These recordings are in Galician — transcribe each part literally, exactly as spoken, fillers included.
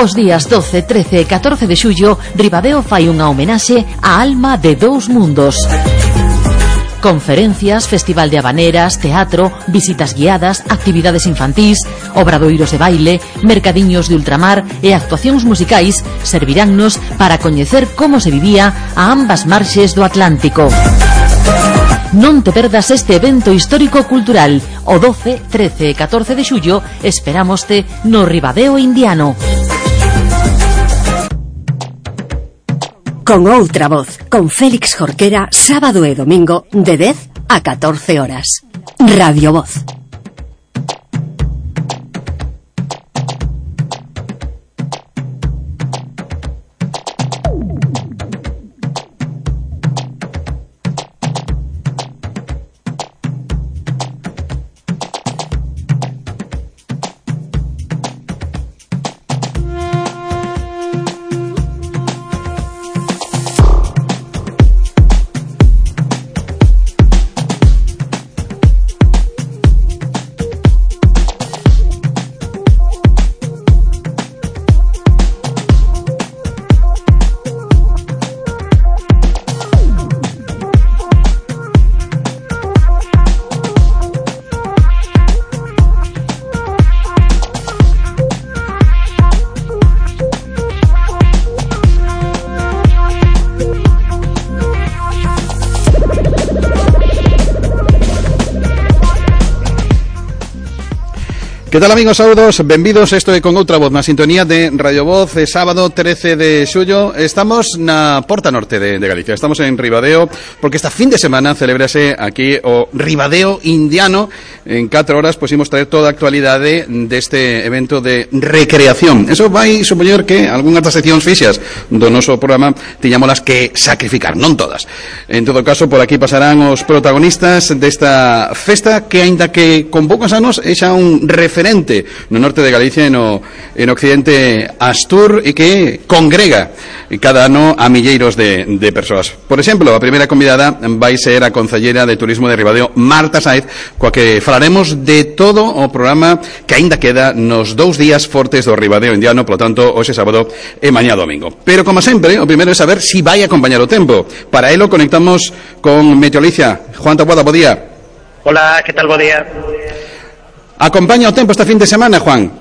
Os días doce, trece e catorce de xullo, Ribadeo fai unha homenaxe á alma de dous mundos. Conferencias, festival de habaneras, teatro, visitas guiadas, actividades infantís, obradoiros de baile, mercadiños de ultramar e actuacións musicais serviránnos para coñecer como se vivía a ambas marxes do Atlántico. Non te perdas este evento histórico-cultural. O doce, trece e catorce de xullo esperámoste no Ribadeo Indiano. Con outra voz, con Félix Jorquera, sábado e domingo de dez a catorce horas. Radio Voz. Que tal, amigos? Saúdos, benvidos. Isto é Con Outra Voz na sintonía de Radio Voz. É sábado trece de xullo. Estamos na Porta Norte de, de Galicia. Estamos en Ribadeo porque esta fin de semana celebrase aquí o Ribadeo Indiano. En catro horas pois imos traer toda a actualidade deste evento de recreación. Eso vai supoñer que algunhas das seccións fixas do noso programa tiñámolas que sacrificar, non todas. En todo caso, por aquí pasarán os protagonistas desta festa que, aínda que con poucos anos, é xa un referente no norte de Galicia e no, en occidente Astur, e que congrega cada ano a milleiros de, de persoas. Por exemplo, a primeira convidada vai ser a concellera de Turismo de Ribadeo, Marta Sáez, coa que falaremos de todo o programa que aínda queda nos dous días fortes do Ribadeo Indiano, polo tanto, hoxe sábado e mañá domingo. Pero, como sempre, o primeiro é saber si vai acompañar o tempo. Para elo conectamos con Meteolicia. Juan Taboada, bo día. Hola, que tal, bo día? ¿Acompaña o tempo esta fin de semana, Juan?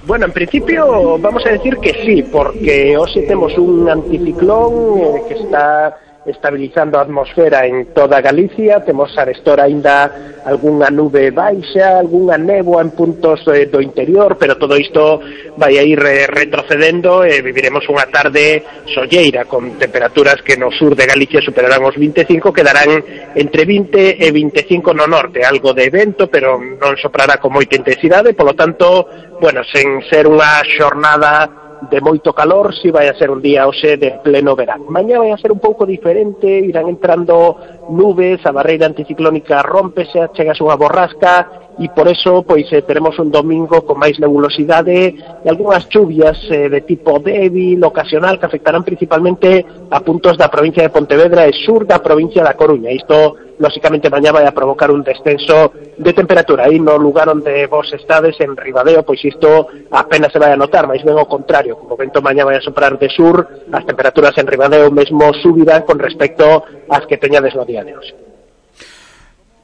Bueno, en principio vamos a decir que sí, porque hoxe temos un anticiclón eh, que está estabilizando a atmosfera en toda Galicia. Temos arestora aínda algunha nube baixa, algunha néboa en puntos eh, do interior, pero todo isto vai a ir eh, retrocedendo e viviremos unha tarde solleira con temperaturas que no sur de Galicia superarán os vinte e cinco, quedarán entre vinte e vinte e cinco no norte, algo de vento, pero non soprará con moita intensidade, polo tanto, bueno, sen ser unha xornada de moito calor, si vai a ser un día hoxe de pleno verán. Mañá vai a ser un pouco diferente, irán entrando nubes, a barreira anticiclónica rómpese, chegase unha borrasca, e por eso pois eh, teremos un domingo con máis nebulosidade e algunhas chuvias eh, de tipo débil, ocasional, que afectarán principalmente a puntos da provincia de Pontevedra e sur da provincia da Coruña. Isto, lógicamente, mañá vai a provocar un descenso de temperatura. Aí no lugar onde vos estades, en Ribadeo, pois isto apenas se vai a notar, máis ben ao contrario. Como o vento mañá vai a soprar de sur, as temperaturas en Ribadeo mesmo subirán con respecto ás que teñades no día de hoxe.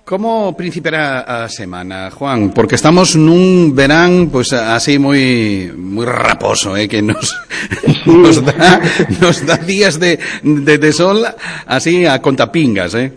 Como principiará a semana, Juan? Porque estamos nun verán pois así moi moi raposo, eh, que nos nos dá nos dá días de, de de sol así a contapingas, eh.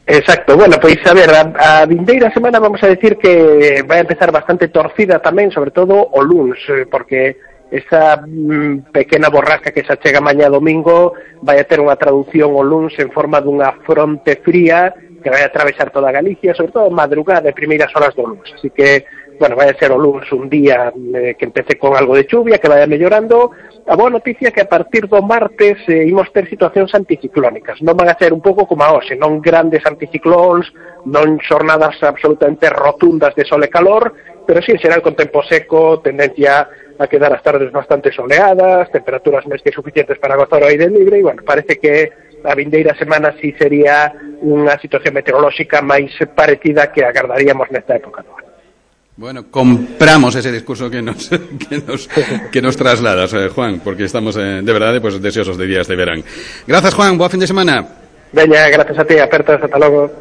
Exacto, bueno, pois a ver, a, a vindeira semana vamos a decir que vai a empezar bastante torcida tamén, sobre todo o luns, porque esa mm, pequena borrasca que se achega mañá domingo vai a ter unha traducción o luns en forma dunha fronte fría que vai a atravesar toda Galicia, sobre todo madrugada e primeiras horas do luns. Así que, bueno, vai a ser o luns un día eh, que empece con algo de chuvia, que vaya mellorando. A boa noticia é que a partir do martes eh, imos ter situacións anticiclónicas. Non van a ser un pouco como a hoxe, non grandes anticiclóns, non xornadas absolutamente rotundas de sol e calor, pero sí en xeral con tempo seco, tendencia a quedar as tardes bastante soleadas, temperaturas máis que suficientes para gozar o aire libre, e, bueno, parece que a vindeira semana sí sería unha situación meteorolóxica máis parecida que agardaríamos nesta época do ano. Bueno, compramos ese discurso que nos que nos, que nos trasladas, eh, Juan, porque estamos eh, de verdade pues, deseosos de días de verán. Gracias, Juan, boa fin de semana. Veña, gracias a ti, apertas, ata logo.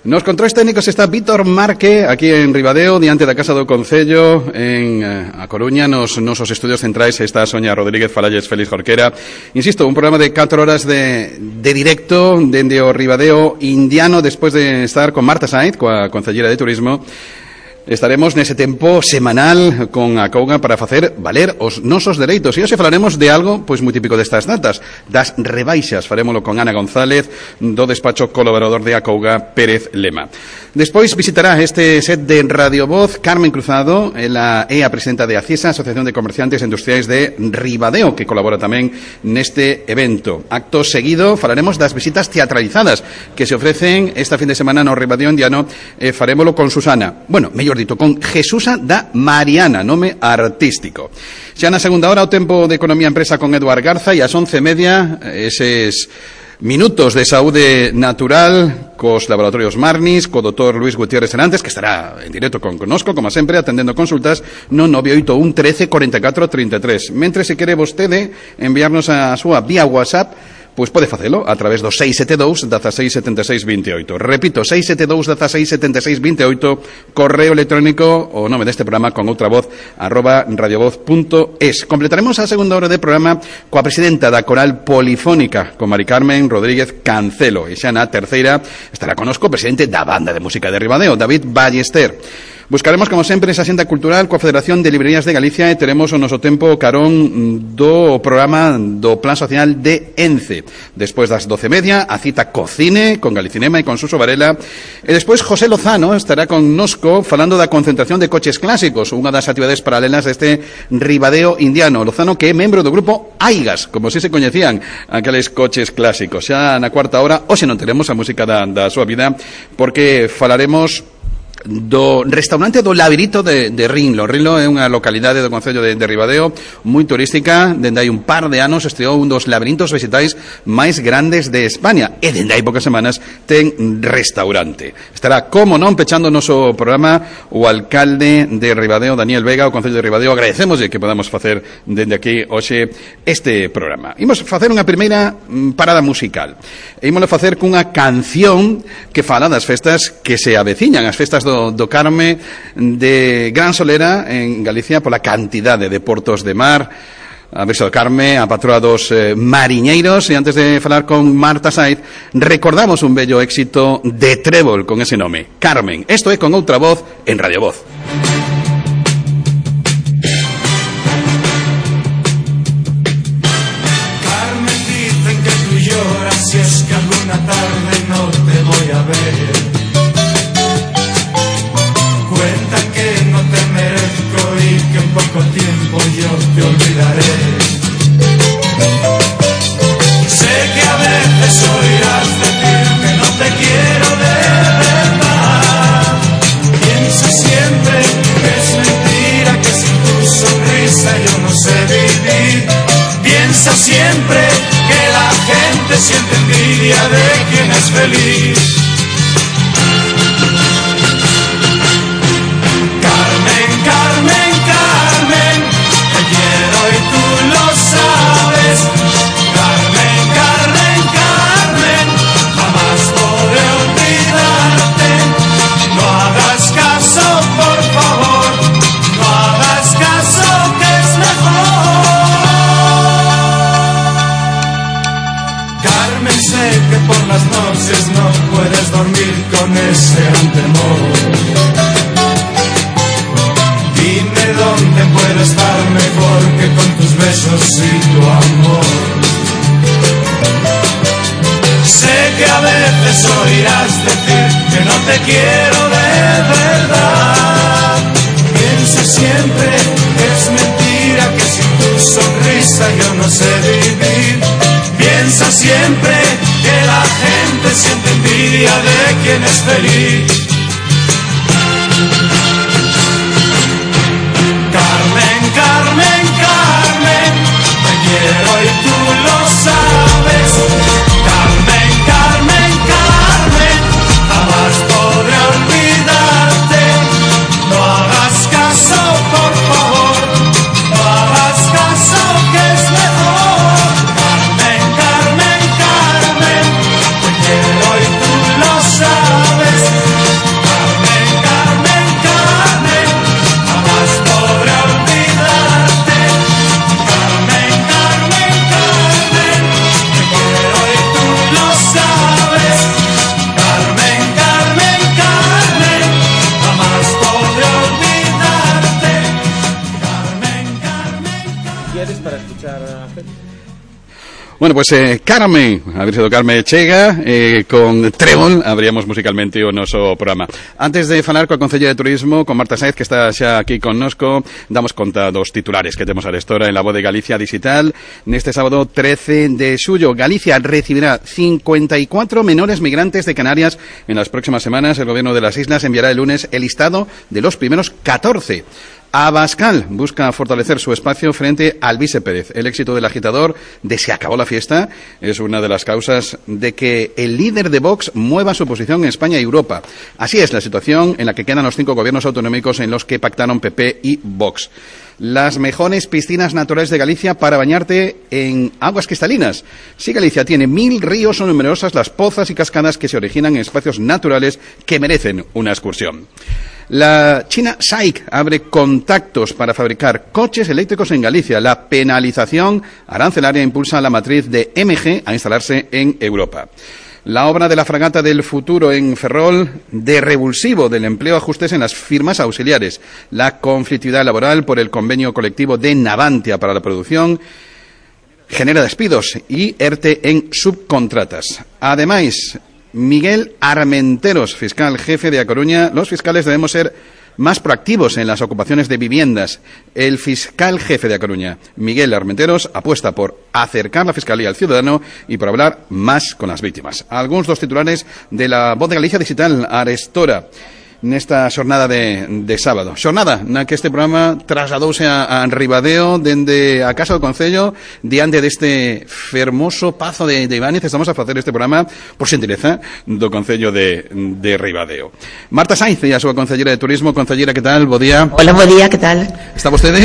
Nos controles técnicos está Víctor Marque, aquí en Ribadeo, diante da Casa do Concello, en eh, A Coruña, nos nosos estudios centrais está Sonia Rodríguez, falalles Félix Jorquera. Insisto, un programa de catro horas de, de directo dende o Ribadeo indiano, despois de estar con Marta Sainz, coa Concellera de Turismo. Estaremos nese tempo semanal con a Acouga para facer valer os nosos dereitos. E hoxe falaremos de algo pois moi típico destas datas, das rebaixas. Farémolo con Ana González, do despacho colaborador de Acouga, Pérez Lema. Despois visitará este set de Radio Voz Carmen Cruzado, ela é a presidenta de ACIESA, Asociación de Comerciantes Industriais de Ribadeo, que colabora tamén neste evento. Acto seguido falaremos das visitas teatralizadas que se ofrecen esta fin de semana no Ribadeo indiano. E farémolo con Susana. Bueno, mellor dito, con Jesusa da Mariana, nome artístico. Xa na segunda hora o tempo de Economía e Empresa con Eduard Garza, e ás once e media eses minutos de saúde natural cos laboratorios Marnis, co doutor Luis Gutiérrez Serantes, que estará en directo con conosco, como sempre, atendendo consultas no nove oito un trece cuarenta e catro trinta e tres. Mentre se quere vostede enviarnos a súa vía WhatsApp, pois pode facelo a través do seis sete dous, dezasseis setenta e seis vinte e oito. Repito, seis sete dous, dezasseis setenta e seis vinte e oito, correo electrónico, o nome deste programa con outra voz, arroba radiovoz punto es. Completaremos a segunda hora de programa coa presidenta da Coral Polifónica, con Mari Carmen Rodríguez Cancelo. E xa na terceira estará conosco o presidente da Banda de Música de Ribadeo, David Ballester. Buscaremos, como sempre, esa xenda cultural coa Federación de Librerías de Galicia e teremos o noso tempo carón do programa do Plan Social de ENCE. Despois das doce e media, a cita Cocine con Galicinema e con Suso Varela. E despois José Lozano estará con nosco falando da concentración de coches clásicos, unha das actividades paralelas deste Ribadeo indiano. Lozano, que é membro do grupo Aigas, como se se coñecían aqueles coches clásicos. Xa na cuarta hora, hoxe non teremos a música da, da súa vida, porque falaremos do restaurante do Labirito de, de Rinlo. Rinlo é unha localidade do concello de, de Ribadeo moi turística. Dende hai un par de anos estreou un dos labirintos vegetais máis grandes de España, e dende hai pocas semanas ten restaurante. Estará, como non, pechando o noso programa o alcalde de Ribadeo, Daniel Vega, o concello de Ribadeo. Agradecémoslle que podamos facer dende aquí hoxe este programa. Imos facer unha primeira parada musical. E ímoslo facer cunha canción que fala das festas que se aveciñan, as festas do do Carme de Gran Solera en Galicia, pola cantidade de portos de mar, a Virxe do Carme, a patroa dos eh, mariñeiros. E antes de falar con Marta Sainz, recordamos un bello éxito de Trébol con ese nome, Carmen. Esto é con outra voz en Radio Voz. Carmen, dicen que tú lloras si es que alguna tarde no te voy a ver. Cuentan que no te merezco y que en poco tiempo yo te olvidaré. Sé que a veces oirás decir que no te quiero de verdad. Piensa siempre que es mentira, que sin tu sonrisa yo no sé vivir. Piensa siempre que la gente siente envidia de quien es feliz. Carmen, Carmen, te quiero y tú lo sabes. Carmen, Carmen, Carmen, jamás podré olvidarte. No hagas caso, por favor, no hagas caso, que es mejor. Carmen, sé que por las noches no puedes dormir con ese gran temor. Dime dónde puedo estar mejor que con tus besos y tu amor. Sé que a veces oirás decir que no te quiero de verdad. Piensa siempre que es mentira, que sin tu sonrisa yo no sé vivir. Piensa siempre que la gente siente envidia de quien es feliz. Carmen, Carmen, Carmen, te quiero y tú lo sabes. Carmen, Carmen, Carmen, jamás podré olvidarte. No escuchar a Félix. Bueno, pues eh, Carmen, haber sido Carmen Chega, eh, con Trébol, abríamos musicalmente o noso programa. Antes de falar coa Concelleira de Turismo, con Marta Sáenz, que está xa aquí connosco, damos conta dos titulares que temos a restora en la Voz de Galicia Digital. Neste sábado trece de xullo, Galicia recibirá cincuenta y cuatro menores migrantes de Canarias. En las próximas semanas, el gobierno de las islas enviará el lunes el listado de los primeros catorce. Abascal busca fortalecer su espacio frente al Alvise Pérez. El éxito del agitador de Se acabó la fiesta es una de las causas de que el líder de Vox mueva su posición en España y Europa. Así es la situación en la que quedan los cinco gobiernos autonómicos en los que pactaron P P y Vox. Las mejores piscinas naturales de Galicia para bañarte en aguas cristalinas. Sí, Galicia tiene mil ríos, son numerosas las pozas y cascadas que se originan en espacios naturales que merecen una excursión. La China S A I C abre contactos para fabricar coches eléctricos en Galicia. La penalización arancelaria impulsa a la matriz de M G a instalarse en Europa. La obra de la fragata del futuro en Ferrol, de revulsivo del empleo ajustes en las firmas auxiliares. La conflictividad laboral por el convenio colectivo de Navantia para la producción genera despidos y ERTE en subcontratas. Además, Miguel Armenteros, fiscal jefe de A Coruña, los fiscales debemos ser más proactivos en las ocupaciones de viviendas. El fiscal jefe de A Coruña, Miguel Armenteros, apuesta por acercar la fiscalía al ciudadano y por hablar más con las víctimas. Algunos dos titulares de la Voz de Galicia Digital Arestora nesta xornada de, de sábado. Xornada na que este programa trasladouse a, a Ribadeo dende a Casa do Concello diante deste fermoso pazo de, de Ibáñez. Estamos a facer este programa por xentileza do Concello de, de Ribadeo. Marta Sáenz e a súa Concelleira de Turismo. Concelleira, que tal? Bo día. Hola, bo día, que tal? Está vostede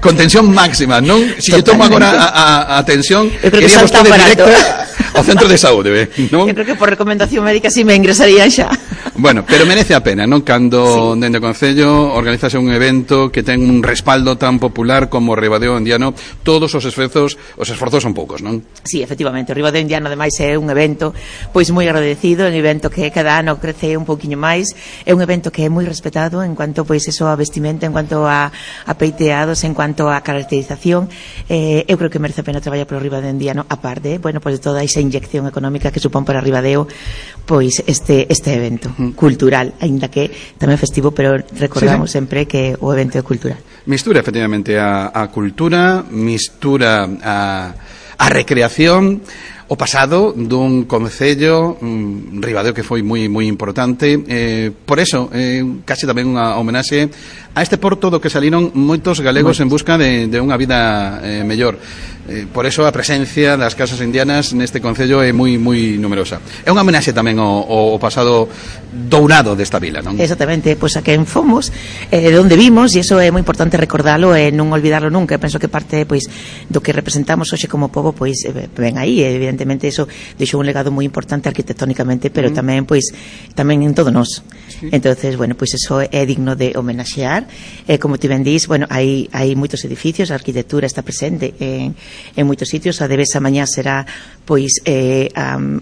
con tensión máxima, non? Si lle tomo agora a, a, a tensión, iría vostede directa ao centro de saúde, non? Eu creo que por recomendación médica si me ingresaría xa. Bueno, pero merece a pena, non? Cando sí, dende o Concello organizase un evento que ten un respaldo tan popular como o Ribadeo Indiano, todos os esforzos, os esforzos son poucos, non? Sí, efectivamente, o Ribadeo Indiano ademais é un evento pois moi agradecido, é un evento que cada ano crece un pouquiño máis, é un evento que é moi respetado en cuanto pois eso a vestimenta, en cuanto a, a peiteados, en cuanto a caracterización. Eh, eu creo que merece a pena traballar polo Ribadeo Indiano, a parte, bueno, pois de toda esa inyección económica que supón para Ribadeo pois este este evento cultural, aínda que tamén festivo, pero recordamos sí, sí. sempre que o evento é cultural. Mistura efectivamente a, a cultura, mistura a, a recreación, o pasado dun concello um, Ribadeo que foi moi moi importante, eh, por eso eh, case tamén unha homenaxe a este porto do que saliron moitos galegos en busca de, de unha vida eh, mellor. Eh, por eso a presencia das casas indianas neste concello é moi moi numerosa. É unha homenaxe tamén ao, ao pasado dourado desta vila, non? Exactamente, pois pues a quen fomos, eh, de onde vimos, e iso é moi importante recordalo e non olvidarlo nunca. Eu penso que parte pois do que representamos hoxe como pobo pois ven aí, evidentemente eso deixou un legado moi importante arquitectónicamente, pero mm. tamén pois tamén en todo nós. Sí. Entonces, bueno, pois eso é digno de homenaxear. Eh, como ti ben dís, bueno, hai hai moitos edificios, a arquitectura está presente en en moitos sitios. A de Besa mañá será pois eh, um,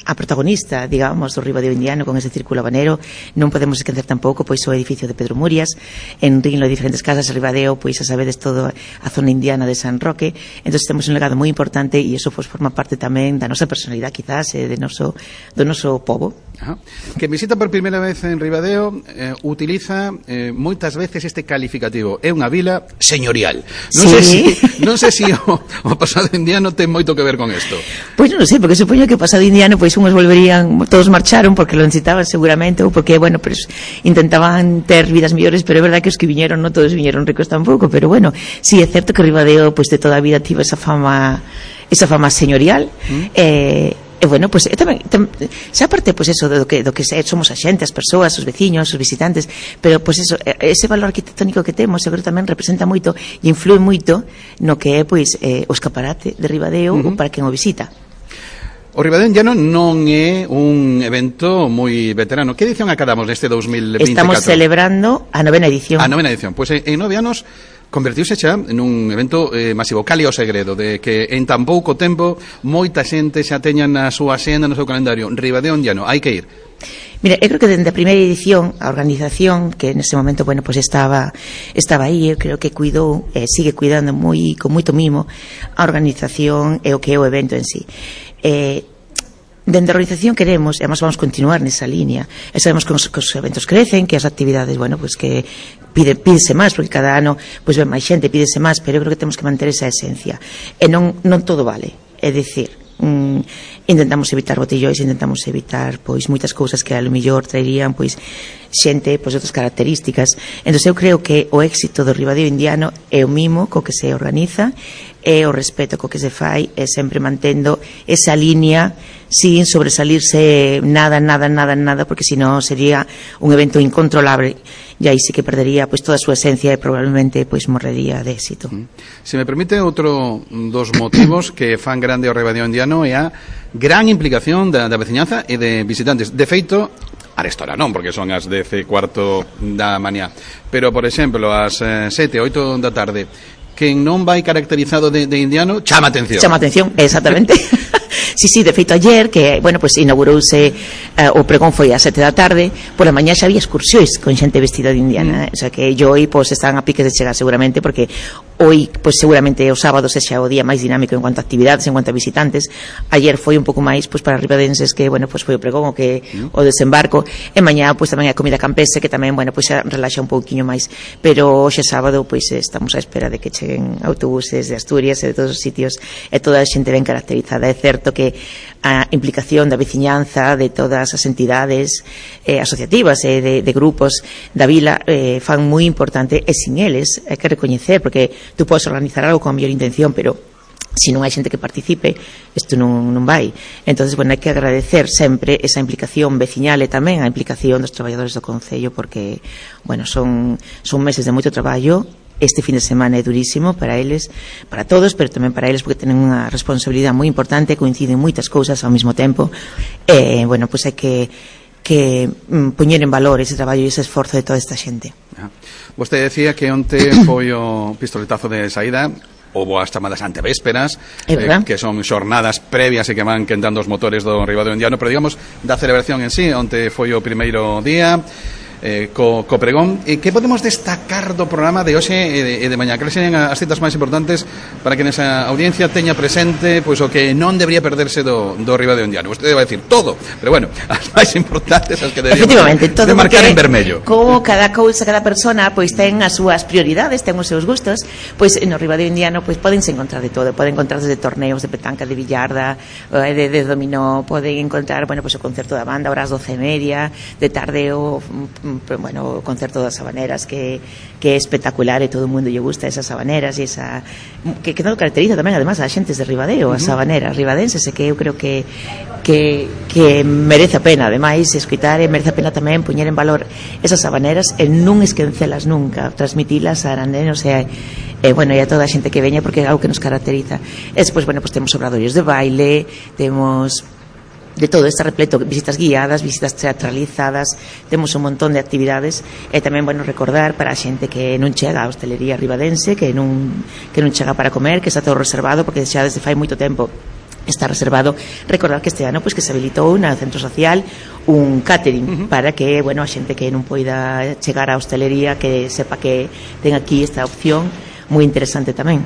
a protagonista, digamos, do Ribadeo Indiano con ese círculo habanero. Non podemos esquecer tampouco pois o edificio de Pedro Murias, en Rinlo, diferentes casas. Ribadeo, pois a sabedes todo a zona indiana de San Roque. Entonces temos un legado moi importante e iso pois forma parte tamén da nosa personalidade, quizás, eh, de noso, do noso pobo. Ajá. Que visita por primeira vez en Ribadeo eh, utiliza eh, moitas veces este calificativo. É unha vila señorial. Non sí. sei si, non sei si o, o pasado indiano ten moito que ver con isto. Pois non sei, porque supoño que o pasado indiano pois unhos volverían, todos marcharon porque lo necesitaban seguramente, ou porque, bueno, pues intentaban ter vidas mellores, pero é verdad que os que viñeron non todos viñeron ricos tampouco, pero bueno, sí, é certo que Ribadeo pois de toda a vida tivo esa fama esa fama señorial. Mm. eh E bueno, pois pues, tamén, tam, xa aparte pois pues, eso do que do que somos a xente, as persoas, os veciños, os visitantes, pero pois pues, eso, ese valor arquitectónico que temos, eu creo tamén representa moito e influe moito no que é pois eh, o escaparate de Ribadeo uh-huh. para quen o visita. O Ribadeo Indiano non é un evento moi veterano. Que edición acabamos neste dous mil vinte e catro? Estamos celebrando a novena edición. A novena edición. Pois pues, en nove anos convertiuse xa nun evento eh, masivo. Cal é o segredo de que en tan pouco tempo moita xente xa teña na súa xenda, no seu calendario Ribadeo Ondiano, hai que ir? Mira, eu creo que dende a primeira edición a organización, que nese momento, bueno, pues estaba estaba aí, eu creo que cuidou e eh, sigue cuidando moi con moito mimo a organización e o que é o evento en sí. Eh, Dende a organización queremos, e además vamos continuar nesa línea, e sabemos que os, que os eventos crecen, que as actividades, bueno, pues que pide, pídese máis, porque cada ano pues ven máis xente, pídese máis, pero eu creo que temos que manter esa esencia, e non, non todo vale, é dicir, mm, intentamos evitar botellóis, intentamos evitar pois moitas cousas que a lo mellor traerían pois xente pois outras características. Entón eu creo que o éxito do Ribadeo Indiano é o mimo co que se organiza, é o respeto co que se fai, e sempre mantendo esa línea sin sobresalirse nada, nada, nada, nada, porque senón sería un evento incontrolable e aí sí que perdería pois toda a súa esencia e probablemente pois morrería de éxito. Se me permite, outro dos motivos que fan grande o Ribadeo Indiano é a gran implicación da, da veciñanza e de visitantes. De feito, arestora non, porque son as dez e cuarto da mañá, pero, por exemplo, ás sete, oito da tarde, quen non vai caracterizado de, de indiano, chama atención. Chama atención, exactamente. Sí, sí, de feito ayer, que, bueno, pues inaugurouse uh, o pregón foi ás sete da tarde, pola mañá xa había excursións con xente vestida de indiana, mm. o sea que yo hoy pues están a piques de chegar seguramente, porque hoy pues seguramente o sábado sexa o día máis dinámico en cuanto a actividades, en cuanto a visitantes. Ayer foi un pouco máis pues para ribadenses, que, bueno, pues foi o pregón, o que mm. o desembarco, e mañá pues tamén a comida campestre, que tamén, bueno, pues xa relaxa un pouquiño máis, pero hoxe sábado pues estamos á espera de que cheguen autobuses de Asturias e de todos os sitios, e toda a xente ben caracterizada. É certo que a implicación da veciñanza, de todas as entidades eh, asociativas e eh, de, de grupos da vila eh, fan moi importante, e sin eles hai que recoñecer, porque tú podes organizar algo con a mellor intención, pero se non hai xente que participe, isto non, non vai. Entonces, bueno, hai que agradecer sempre esa implicación veciñal e tamén a implicación dos traballadores do Concello, porque, bueno, son, son meses de moito traballo. Este fin de semana é durísimo para eles, para todos, pero tamén para eles, porque tenen unha responsabilidade moi importante, coinciden moitas cousas ao mesmo tempo, e, bueno, pois pues hai que que mm, poñer en valor ese traballo e ese esforzo de toda esta xente. Ah. Vostede decía que onte foi o pistoletazo de saída, houbo as chamadas antevésperas, eh, que son xornadas previas e que van quentando os motores do Ribadeo Indiano, pero digamos da celebración en sí. Onte foi o primeiro día eh, co, co pregón. E que podemos destacar do programa de hoxe e de, e de mañá? Que sean as citas máis importantes para que nesa audiencia teña presente pois o que non debería perderse do, do Ribadeo Indiano? Vostede vai decir todo, pero bueno, as máis importantes, as que deberíamos todo, de marcar en vermello. Como cada cousa, cada persona pois ten as súas prioridades, ten os seus gustos, pois no Ribadeo Indiano pois podense encontrar de todo, poden encontrar desde torneos de petanca, de billarda, de, de dominó, poden encontrar, bueno, pois o concerto da banda, horas doce e media, de tarde o bueno, o concerto das habaneras, que, que é espectacular e todo o mundo lle gusta esas habaneras e esa que, que non caracteriza tamén además a xentes de Ribadeo, as habaneras ribadenses, e que eu creo que que, que merece a pena ademais escutar, e merece a pena tamén poñer en valor esas habaneras e non esquencelas nunca, transmitilas a arandenos e a E, bueno, e a toda a xente que veña, porque é algo que nos caracteriza. E despois, bueno, pues temos obradoios de baile, temos de todo, está repleto, visitas guiadas, visitas teatralizadas, temos un montón de actividades, e tamén, bueno, recordar para a xente que non chega a hostelería ribadense, que non, que non chega para comer, que está todo reservado, porque xa desde fai moito tempo está reservado. Recordar que este ano pois que se habilitou na centro social un catering, uh-huh, para que, bueno, a xente que non poida chegar á hostelería que sepa que ten aquí esta opción moi interesante tamén.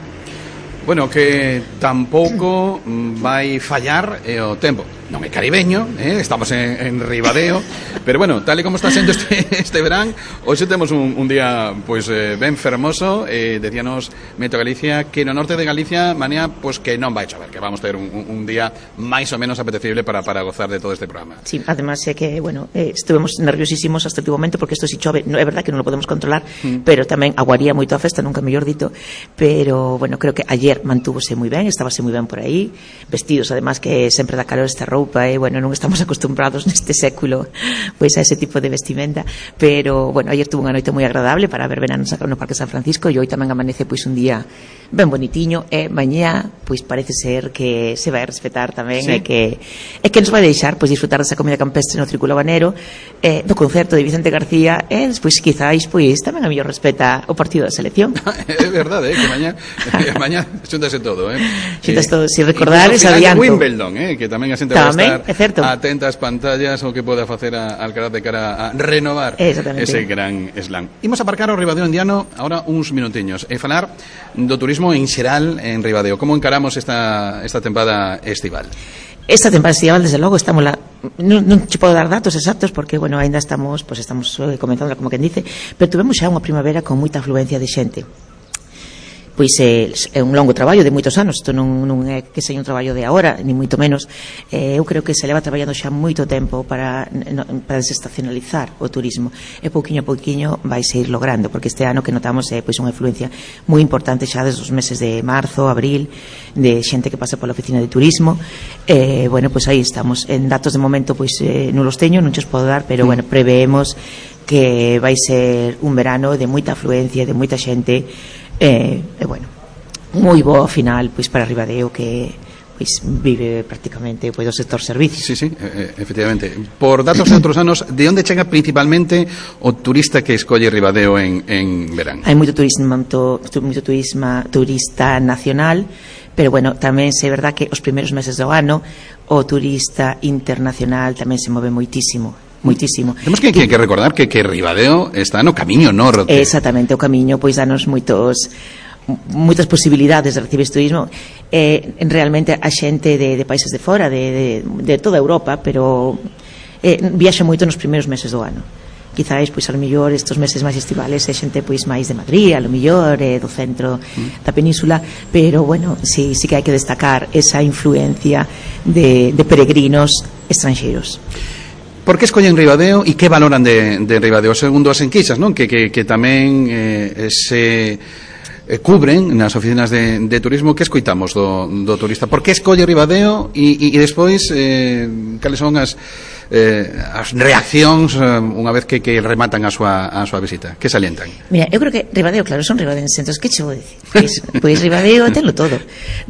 Bueno, que tampouco vai fallar eh, o tempo. Non é caribeño, eh? Estamos en, en Ribadeo, pero bueno, tal e como está sendo este, este verán, hoxe temos un, un día pois eh, ben fermoso. Eh, decíanos Meteo Galicia que no norte de Galicia mañá pois que non vai chover, que vamos ter un, un día máis ou menos apetecible para, para gozar de todo este programa. Sí, además é que, bueno, eh, estuvemos nerviosísimos hasta el último momento, porque isto si chove, no, é verdad que non lo podemos controlar, mm. pero tamén aguaría moito a festa, nunca mellor dito, pero, bueno, creo que ayer mantúvose moi ben, estábase moi ben por aí, vestidos, además que sempre dá calor esta roupa e, bueno, non estamos acostumbrados neste século pois a ese tipo de vestimenta, pero, bueno, ayer tuve unha noite moi agradable para ver verano no Parque San Francisco e hoy tamén amanece pois un día ben bonitiño e mañá pois parece ser que se vai respetar tamén sí. e que e que nos vai deixar pois disfrutar desa comida campestre no Círculo Habanero, eh, do concerto de Vicente García e despois quizáis pois tamén a mellor respeta o partido da selección. É verdade, eh, que mañá que mañá xúntase todo, eh. Xúntase todo, si recordar esa adianto. Wimbledon, eh, que tamén a xente vai estar atenta ás pantallas o que poda facer a Alcaraz de cara a renovar ese gran slam. Imos aparcar ao Ribadeo Indiano agora uns minutiños e falar do turismo en xeral en Ribadeo. Como encaramos esta esta tempada estival? Esta temporada estival, desde logo, estamos la, non, non te podo dar datos exactos porque, bueno, ainda estamos, pues estamos eh, comenzando, como quen dice, pero tuvemos xa unha primavera con moita afluencia de xente. Pois é, é un longo traballo de moitos anos, isto non, non é que seja un traballo de agora, ni moito menos. Eh, eu creo que se leva traballando xa moito tempo para, no, para desestacionalizar o turismo, e pouquiño a pouquiño vai se ir logrando, porque este ano que notamos é pois unha influencia moi importante xa desde os meses de marzo, abril, de xente que pasa pola oficina de turismo. Eh, bueno, pois aí estamos, en datos de momento pois eh, non los teño, non os podo dar, pero bueno, preveemos que vai ser un verano de moita afluencia, de moita xente. E, e bueno, moi bo ao final pois para Ribadeo que pois vive prácticamente pois do sector servicios. Sí, sí, eh, efectivamente. Por datos de outros anos, de onde chega principalmente o turista que escolle Ribadeo en, en verán? Hai moito turismo, moito, moito turismo, turista nacional, pero bueno, tamén é verdad que os primeiros meses do ano o turista internacional tamén se move moitísimo. Moitísimo. Temos que, que, que recordar que, que Ribadeo está no camiño norte. Exactamente, o camiño pois danos moitos moitas posibilidades de recibir turismo. Eh, realmente a xente de, de países de fora, de, de, de toda Europa, pero eh, viaxa moito nos primeiros meses do ano. Quizáis, pois, a lo mellor estes meses máis estivales é xente pois máis de Madrid, a lo mellor eh, do centro mm. da península, pero bueno, sí, sí que hai que destacar esa influencia de, de peregrinos estranxeiros. Por que escollen Ribadeo e que valoran de, de Ribadeo? Segundo as enquisas, non? Que, que, que tamén eh, se eh, cubren nas oficinas de, de turismo. Que escoitamos do, do turista? Por que escolle Ribadeo e, e, e despois eh, cales son as, eh, as reaccións eh, unha vez que, que rematan a súa, a súa visita? Que salientan? Mira, eu creo que Ribadeo, claro, son ribadenses, entón, que che vou dicir? Pois, pois Ribadeo tenlo todo.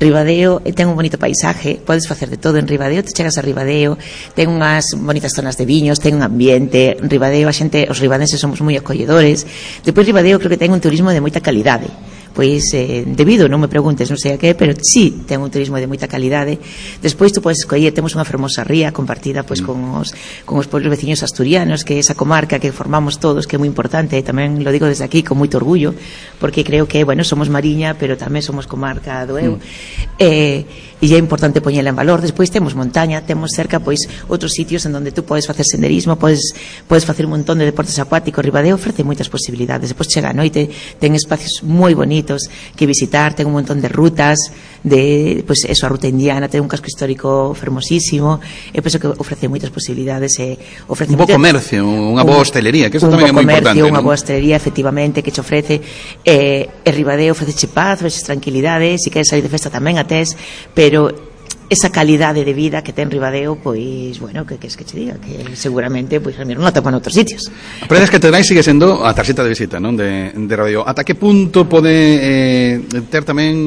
Ribadeo ten un bonito paisaje, podes facer de todo en Ribadeo, te chegas a Ribadeo, ten unhas bonitas zonas de viños, ten un ambiente, Ribadeo, a xente, os ribadenses somos moi acolledores. Depois Ribadeo creo que ten un turismo de moita calidade. Pois, eh, debido, non me preguntes, non sei a que, pero sí, ten un turismo de moita calidade. Despois tú podes escoller, temos unha fermosa ría compartida pois con os con os pueblos veciños asturianos, que é esa comarca que formamos todos, que é moi importante, e tamén lo digo desde aquí con moito orgullo, porque creo que, bueno, somos Mariña, pero tamén somos comarca do Eu. Mm. Eh, e é importante poñela en valor. Despois temos montaña, temos cerca pois outros sitios en donde tú podes facer senderismo, podes podes facer un montón de deportes acuáticos. Ribadeo ofrece moitas posibilidades. Despois chega a noite, ten espacios moi bonitos que visitar, ten un montón de rutas, de, pois pues, eso, a ruta indiana, ten un casco histórico fermosísimo, e penso que ofrece moitas posibilidades, e ofrece un bo comercio, unha boa hostelería, que eso tamén é moi importante, unha boa hostelería, efectivamente, que che ofrece, e, e Ribadeo ofrece paz, ofrece tranquilidade, se queres salir de festa tamén a tes, pero esa calidade de vida que ten Ribadeo, pois, bueno, que queres que che diga, que seguramente, pois, non a topan outros sitios. A Praia das Catedrais sigue sendo a tarxeta de visita, non, de, de Ribadeo. Ata que punto pode eh, ter tamén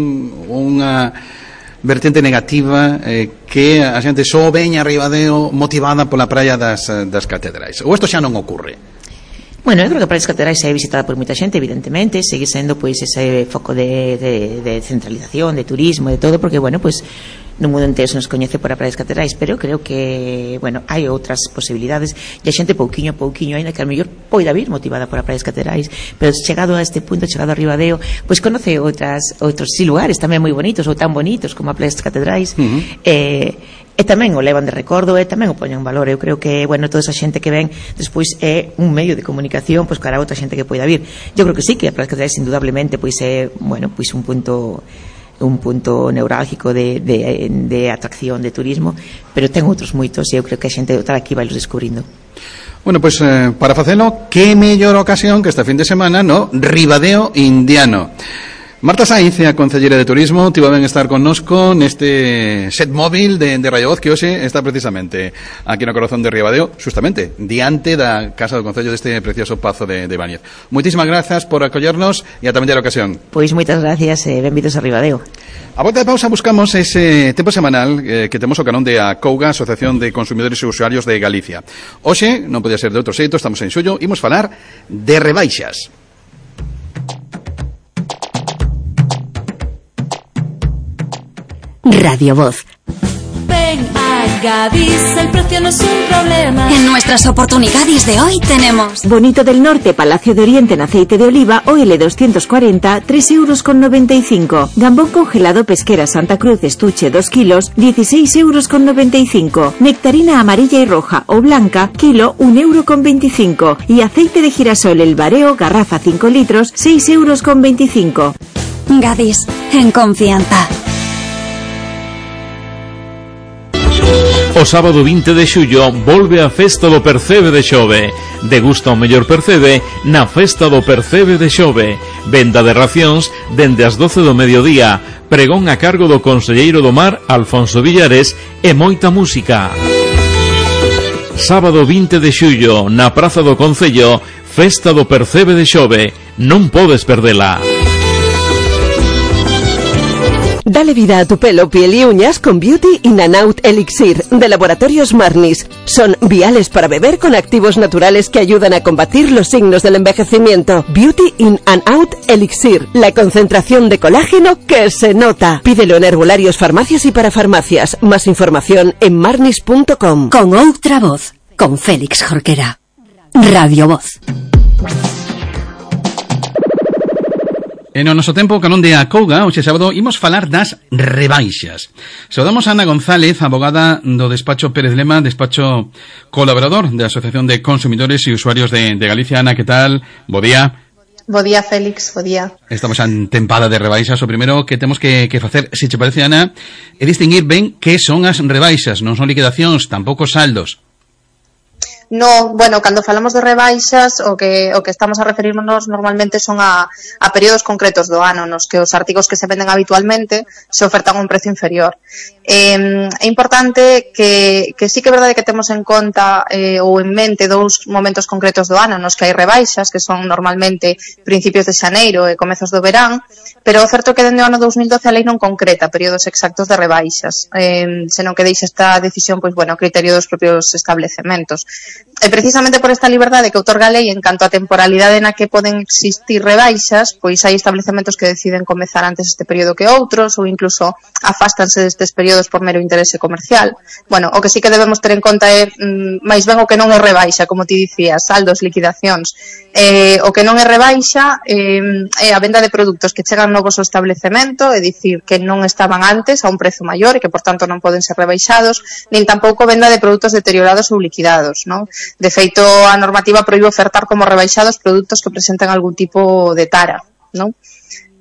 unha vertente negativa eh, que a xente só veña a Ribadeo motivada pola Praia das, das Catedrais? Ou isto xa non ocurre? Bueno, eu creo que a Praia das Catedrais é visitada por moita xente, evidentemente, segue sendo pois ese foco de, de, de centralización, de turismo, de todo, porque, bueno, pois no mundo entero se nos coñece por a Praia das Catedrais, pero creo que, bueno, hai outras posibilidades, e a xente pouquiño a pouquiño, ainda que a mellor poida vir motivada por a Praia das Catedrais, pero chegado a este punto, chegado a Ribadeo, pois conoce outras outros sí, lugares tamén moi bonitos, ou tan bonitos como a Praia das Catedrais, uh-huh. eh, e tamén o levan de recordo, e tamén o poñen en valor. Eu creo que, bueno, toda esa xente que ven despois é un medio de comunicación pois cara a outra xente que poida vir. Eu creo que sí, que a Praia das Catedrais indudablemente pois é, bueno, pois un punto un punto neurálgico de, de, de atracción de turismo, pero ten outros moitos, e eu creo que a xente tal aquí vai los descubrindo. Bueno, pois pues, eh, para facelo, que mellor ocasión que esta fin de semana no Ribadeo Indiano. Marta Sainz, a Concelleira de Turismo, tivo ben estar connosco neste set móvil de, de Radio Voz que hoxe está precisamente aquí no corazón de Ribadeo, justamente diante da Casa do Concello deste precioso Pazo de, de Báñez. Moitísimas grazas por acollernos e ata a ocasión. Pois moitas gracias e eh, benvidos a Ribadeo. A volta de pausa buscamos ese tempo semanal eh, que temos o canón de ACOUGA, Asociación de Consumidores e Usuarios de Galicia. Hoxe, non podía ser de outro xeito, estamos en xullo, imos falar de rebaixas. Radio Voz. Ven a Gadis, el precio no es un problema. En nuestras oportunidades de hoy tenemos Bonito del Norte, Palacio de Oriente en aceite de oliva o L doscientos cuarenta, tres euros con noventa y cinco. Gambón congelado Pesquera Santa Cruz estuche dos kilos, dieciséis euros con noventa y cinco. Nectarina amarilla y roja o blanca, kilo un euro con veinticinco. Y aceite de girasol El Bareo, garrafa cinco litros, seis euros con veinticinco. Gadis, en confianza. O sábado vinte de xullo volve a Festa do Percebe de Xove. Degusta o mellor percebe na Festa do Percebe de Xove. Venda de racións dende as doce do mediodía. Pregón a cargo do conselleiro do Mar, Alfonso Villares, e moita música. Sábado vinte de xullo, na Praza do Concello, Festa do Percebe de Xove. Non podes perdela. Dale vida a tu pelo, piel y uñas con Beauty in and Out Elixir de Laboratorios Marnis. Son viales para beber con activos naturales que ayudan a combatir los signos del envejecimiento. Beauty in and Out Elixir, la concentración de colágeno que se nota. Pídelo en herbolarios, farmacias y parafarmacias. Más información en marnis punto com. Con outra voz, con Félix Jorquera. Radio Voz. E no noso tempo, canón de ACOUGA, hoxe sábado, imos falar das rebaixas. Saudamos a Ana González, abogada do despacho Pérez Lema, despacho colaborador da Asociación de Consumidores e Usuarios de, de Galicia. Ana, que tal? Bo día. Bo día, Félix, bo día. Estamos en tempada de rebaixas. O primeiro que temos que, que facer, se che parece, Ana, é distinguir ben que son as rebaixas. Non son liquidacións, tampouco saldos. No, bueno, cando falamos de rebaixas, o que o que estamos a referirnos normalmente son a, a períodos concretos do ano nos que os artigos que se venden habitualmente se ofertan a un precio inferior. Eh, é importante que, que sí que é verdade que temos en conta eh, ou en mente dous momentos concretos do ano nos que hai rebaixas, que son normalmente principios de xaneiro e comezos do verán, pero o certo que dende o ano dos mil doce a lei non concreta períodos exactos de rebaixas, eh, senón que deixa esta decisión, pois bueno, a criterio dos propios establecementos. E precisamente por esta liberdade que outorga a lei en canto a temporalidade na que poden existir rebaixas, pois hai establecementos que deciden comezar antes este período que outros ou incluso afástanse destes períodos por mero interese comercial. Bueno, o que sí que debemos ter en conta é mm, máis ben o que non é rebaixa, como ti dicías, saldos, liquidacións. Eh, o que non é rebaixa eh, é a venda de produtos que chegan novos ao establecemento, é dicir, que non estaban antes a un prezo maior e que por tanto non poden ser rebaixados, nin tampouco venda de produtos deteriorados ou liquidados, non? De feito, a normativa proíbe ofertar como rebaixados produtos que presenten algún tipo de tara, non?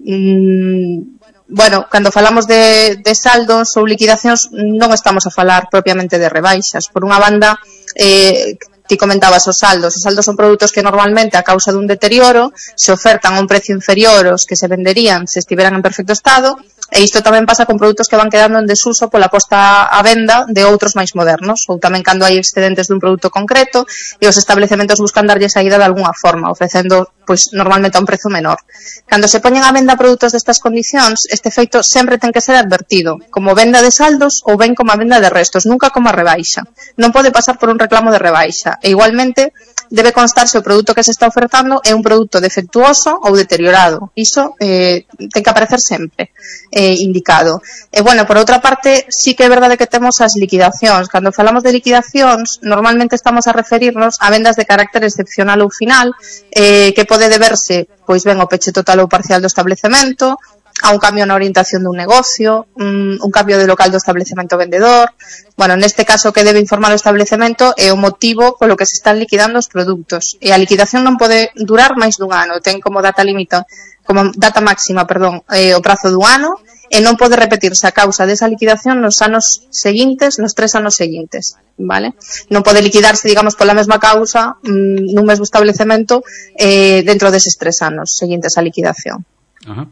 Mm, bueno, cando falamos de, de saldos ou liquidacións non estamos a falar propiamente de rebaixas. Por unha banda, eh, ti comentabas os saldos. Os saldos son produtos que normalmente a causa dun deterioro se ofertan a un precio inferior aos que se venderían se estiveran en perfecto estado. E isto tamén pasa con produtos que van quedando en desuso pola posta a venda de outros máis modernos, ou tamén cando hai excedentes dun produto concreto e os establecementos buscan darlle saída de algunha forma, ofrecendo pois normalmente a un prezo menor. Cando se poñen a venda produtos destas condicións, este feito sempre ten que ser advertido, como venda de saldos ou ben como a venda de restos, nunca como a rebaixa. Non pode pasar por un reclamo de rebaixa, e igualmente debe constar se o produto que se está ofertando é un produto defectuoso ou deteriorado. Iso eh, ten que aparecer sempre eh, indicado. E, bueno, por outra parte, sí que é verdade que temos as liquidacións. Cando falamos de liquidacións, normalmente estamos a referirnos a vendas de carácter excepcional ou final, eh, que pode deberse, pois ben, ao peche total ou parcial do establecemento, a un cambio na orientación dun negocio, un, un cambio de local do establecemento vendedor. Bueno, neste caso, que debe informar o establecemento é o motivo polo que se están liquidando os produtos. E a liquidación non pode durar máis dun ano, ten como data limita, como data máxima, perdón, eh, o prazo dun ano, e non pode repetirse a causa desa liquidación nos anos seguintes, nos tres anos seguintes, vale? Non pode liquidarse, digamos, pola mesma causa mmm, nun mesmo establecemento eh, dentro deses tres anos seguintes á liquidación. Ajá.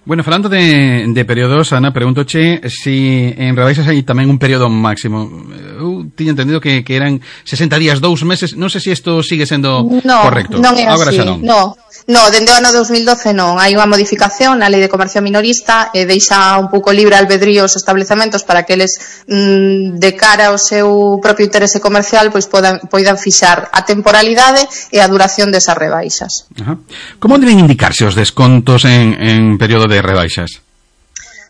Bueno, falando de, de períodos, Ana, pregúntoche si en rebaixas hai tamén un período máximo. Eu tiña entendido que, que eran sesenta días, dous meses. Non sei se isto sigue sendo no, correcto. Non é Agora así, xa non. no. No, dende o ano dos mil doce non. Hai unha modificación na Lei de Comercio Minorista e deixa un pouco libre albedrío os establecementos para que eles, mmm, de cara ao seu propio interese comercial, pois podan, poidan fixar a temporalidade e a duración desas rebaixas. Ajá. Como deben indicarse os descontos en, en período de rebaixas?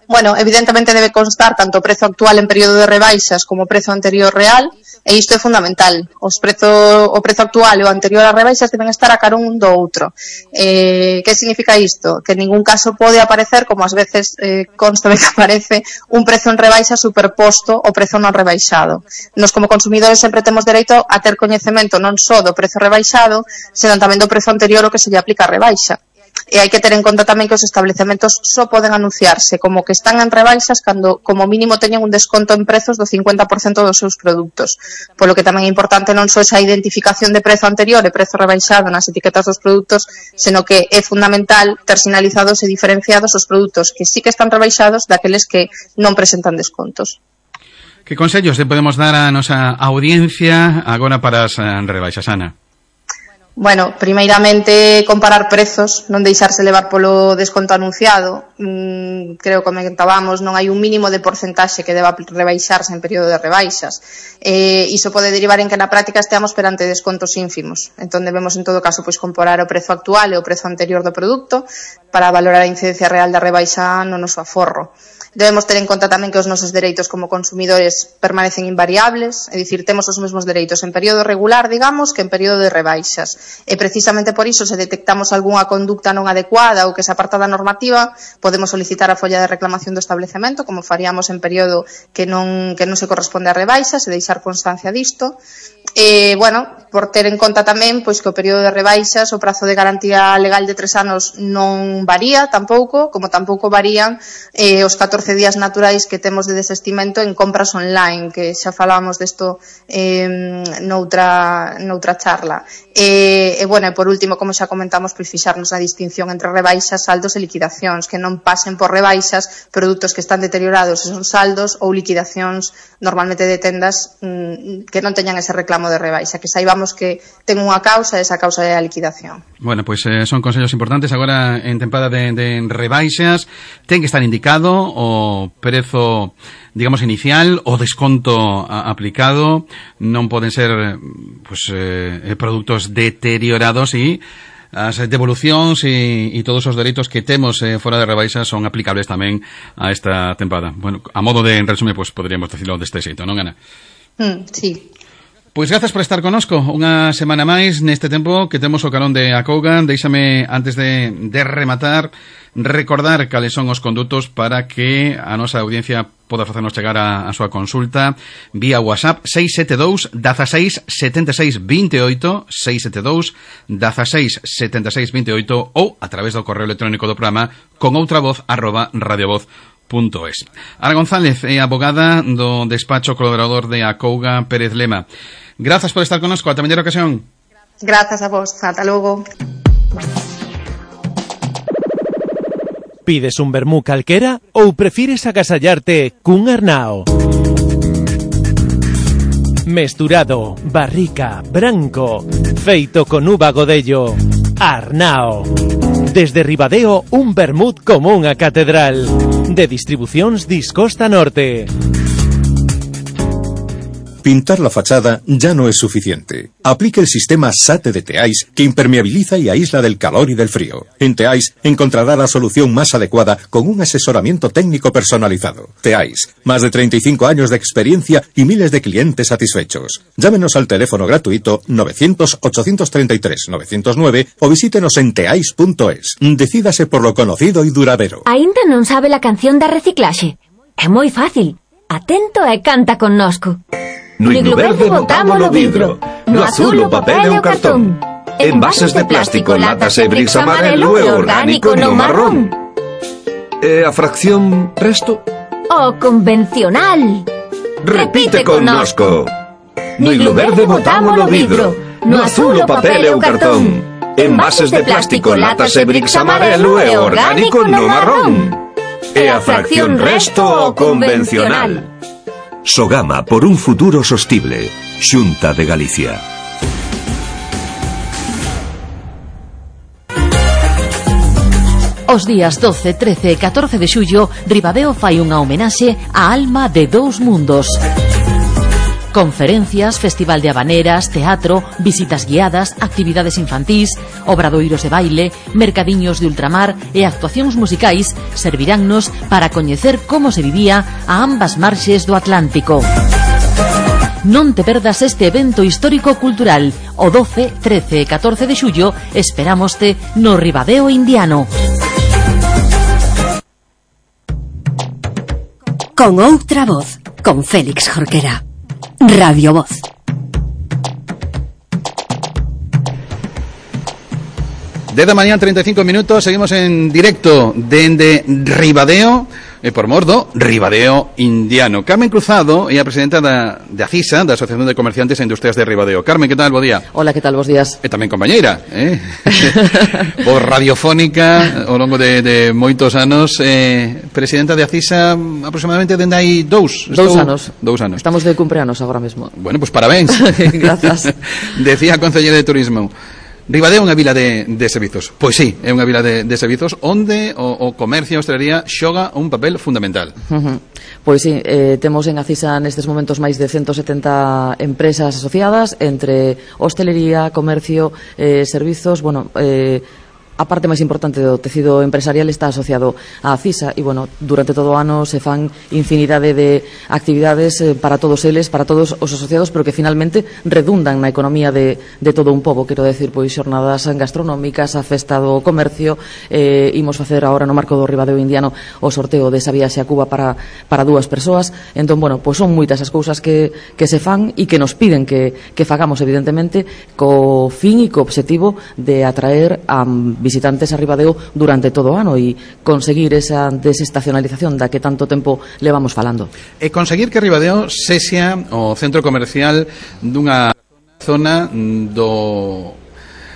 Bueno, evidentemente debe constar tanto o prezo actual en período de rebaixas como o prezo anterior real, e isto é fundamental. Os prezo, o prezo actual e o anterior a rebaixas deben estar a carón un do outro. Eh, que significa isto? Que en ningún caso pode aparecer, como ás veces eh, consta de que aparece, un prezo en rebaixa superposto ao prezo non rebaixado. Nos como consumidores sempre temos dereito a ter coñecemento non só do prezo rebaixado, senón tamén do prezo anterior ao que se lle aplica a rebaixa. E hai que ter en conta tamén que os establecementos só poden anunciarse como que están en rebaixas cando como mínimo teñen un desconto en prezos do cincuenta por cento dos seus produtos. Polo que tamén é importante non só esa identificación de prezo anterior e prezo rebaixado nas etiquetas dos produtos, senón que é fundamental ter sinalizados e diferenciados os produtos que sí que están rebaixados daqueles que non presentan descontos. Que consellos le podemos dar a nosa audiencia agora para as rebaixas, Ana? Bueno, primeiramente comparar prezos, non deixarse levar polo desconto anunciado. Mm, creo que comentábamos, non hai un mínimo de porcentaxe que deba rebaixarse en período de rebaixas. Eh, iso pode derivar en que na práctica esteamos perante descontos ínfimos. Entón debemos en todo caso pois comparar o prezo actual e o prezo anterior do produto para valorar a incidencia real da rebaixa no noso aforro. Debemos ter en conta tamén que os nosos dereitos como consumidores permanecen invariables, é dicir, temos os mesmos dereitos en período regular, digamos, que en período de rebaixas. E precisamente por iso, se detectamos algunha conducta non adecuada ou que se aparta da normativa, podemos solicitar a folla de reclamación do establecemento, como faríamos en período que non, que non se corresponde a rebaixas, e deixar constancia disto. E, bueno, por ter en conta tamén pois que o período de rebaixas, o prazo de garantía legal de tres anos non varía tampouco, como tampouco varían eh, os catorce días naturais que temos de desestimento en compras online, que xa falábamos desto eh, noutra, noutra charla. E, e, bueno, e por último, como xa comentamos, pois fixarnos a distinción entre rebaixas, saldos e liquidacións, que non pasen por rebaixas produtos que están deteriorados e son saldos, ou liquidacións normalmente de tendas mmm, que non teñan ese reclamo de rebaixa, que saibamos que ten unha causa e esa causa é a liquidación. Bueno, pois pues, eh, son consellos importantes agora en tempada de, de rebaixas. Ten que estar indicado o prezo, digamos, inicial, o desconto a, aplicado. Non poden ser pues, eh, produtos deteriorados e as devolucións e, e todos os dereitos que temos eh, fora de rebaixas son aplicables tamén a esta tempada. Bueno, a modo de resume, pues poderíamos decirlo deste xeito, non, Ana? Mm, sí. Pois grazas por estar conosco unha semana máis neste tempo que temos o carón de Acouga. Deixame, antes de, de rematar, recordar cales son os condutos para que a nosa audiencia poda facernos chegar a, a súa consulta vía WhatsApp seis sete dous, dezasseis, setenta e seis, vinte e oito, seis sete dous, dezasseis, setenta e seis, vinte e oito ou a través do correo electrónico do programa con outra voz arroba radiovoz punto es. Ana González é abogada do despacho colaborador de Acouga Pérez Lema. Grazas por estar connosco, ata mañana ocasión. Grazas a vos, ata logo. Pides un vermú calquera ou prefires agasallarte cun arnao? Mesturado, barrica, branco, feito con uva godello, arnao. Desde Ribadeo, un vermut como unha catedral. De distribucións Discosta Norte. Pintar la fachada ya no es suficiente. Aplique el sistema SATE de Teais que impermeabiliza y aísla del calor y del frío. En Teais encontrará la solución más adecuada con un asesoramiento técnico personalizado. Teais, más de treinta y cinco años de experiencia y miles de clientes satisfechos. Llámenos al teléfono gratuito novecientos, ochocientos treinta y tres, novecientos nueve o visítenos en teais punto es. Decídase por lo conocido y duradero. Aínda non sabe la canción da reciclaxe? É moi fácil. Atento e canta connosco. No higlo verde botámolo vidro, no azul o papel e o cartón. Envases de plástico, latas e bricks amarelo e orgánico no marrón. E a fracción resto? O convencional. Repite connosco. No higlo verde botámolo vidro, no azul o papel e o cartón. Envases de plástico, latas e bricks amarelo e orgánico no marrón. E a fracción resto o convencional. Sogama por un futuro sostible. Xunta de Galicia. Os días doce, trece e catorce de xullo, Ribadeo fai unha homenaxe á alma de dous mundos. Conferencias, festival de habaneras, teatro, visitas guiadas, actividades infantís, obradoiros de baile, mercadiños de ultramar e actuacións musicais serviránnos para coñecer como se vivía a ambas marxes do Atlántico. Non te perdas este evento histórico-cultural. O doce, trece e catorce de xullo esperámoste no Ribadeo Indiano. Con outra voz, con Félix Jorquera. Radio Voz. Desde mañana treinta y cinco minutos, seguimos en directo dende Ribadeo, e por mordo, Ribadeo Indiano. Carmen Cruzado é a presidenta da, de ACISA, da Asociación de Comerciantes e Industrias de Ribadeo. Carmen, que tal? Bo día. Hola, que tal? Bos días. E tamén compañeira, eh? Por radiofónica, ao longo de, de moitos anos, eh, presidenta de ACISA aproximadamente dende hai dous. Dous Estou... anos. Dous anos. Estamos de cumpleanos agora mesmo. Bueno, pues parabéns. Grazas. Decía a concelleira de Turismo, Ribadeo é unha vila de, de servizos. Pois sí, é unha vila de, de servizos onde o, o comercio e a hostelería xoga un papel fundamental. Uh-huh. Pois sí, eh, temos en ACISA nestes momentos máis de ciento setenta empresas asociadas entre hostelería, comercio, eh, servizos, bueno, eh, a parte máis importante do tecido empresarial está asociado á ACISA e, bueno, durante todo o ano se fan infinidade de actividades eh, para todos eles, para todos os asociados, pero que finalmente redundan na economía de, de todo un pobo. Quero decir, pois, xornadas gastronómicas, a festa do comercio, eh, imos facer agora no marco do Ribadeo Indiano o sorteo desa viaxe a Cuba para, para dúas persoas. Entón, bueno, pois son moitas as cousas que, que se fan e que nos piden que, que fagamos, evidentemente, co fin e co obxectivo de atraer a visitantes a Ribadeo durante todo o ano e conseguir esa desestacionalización da que tanto tempo levamos falando. E conseguir que Ribadeo sexa o centro comercial dunha zona do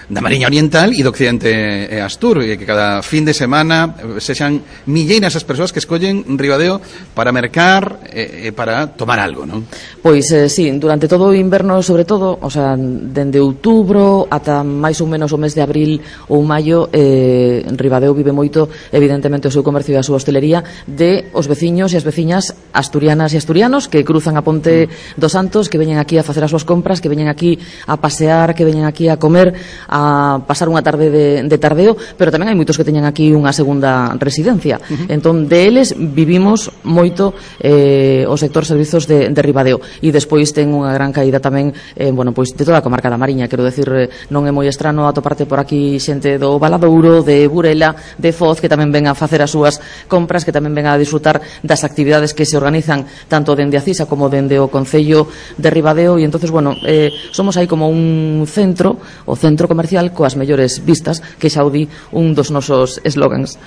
da Mariña Oriental e do Occidente e Astur, e que cada fin de semana sexan milleiras as persoas que escollen Ribadeo para mercar e, e para tomar algo, non? Pois, eh, sí, durante todo o inverno, sobre todo, o sea, dende outubro ata máis ou menos o mes de abril ou maio, eh, Ribadeo vive moito, evidentemente, o seu comercio e a súa hostelería de os veciños e as veciñas asturianas e asturianos que cruzan a Ponte mm. dos Santos, que veñen aquí a facer as súas compras, que veñen aquí a pasear, que veñen aquí a comer, a a pasar unha tarde de, de tardeo, pero tamén hai moitos que teñen aquí unha segunda residencia. Uh-huh. Entón, de eles vivimos moito eh, o sector servizos de, de Ribadeo, e despois ten unha gran caída tamén, eh, bueno, pois de toda a comarca da Mariña. Quero decir, eh, non é moi estrano atoparte por aquí xente do Valadouro, de Burela, de Foz, que tamén ven a facer as súas compras, que tamén ven a disfrutar das actividades que se organizan tanto dende a CISA como dende o Concello de Ribadeo, e entonces, bueno, eh, somos aí como un centro, o centro comercial coas mellores vistas, que xa o di un dos nosos eslogans.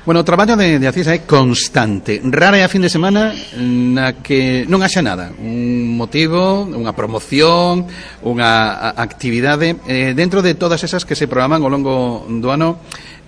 Bueno, o traballo de, de ACISA é constante. Rara é a fin de semana na que non haxa nada, un motivo, unha promoción, unha actividade eh, dentro de todas esas que se programan ao longo do ano.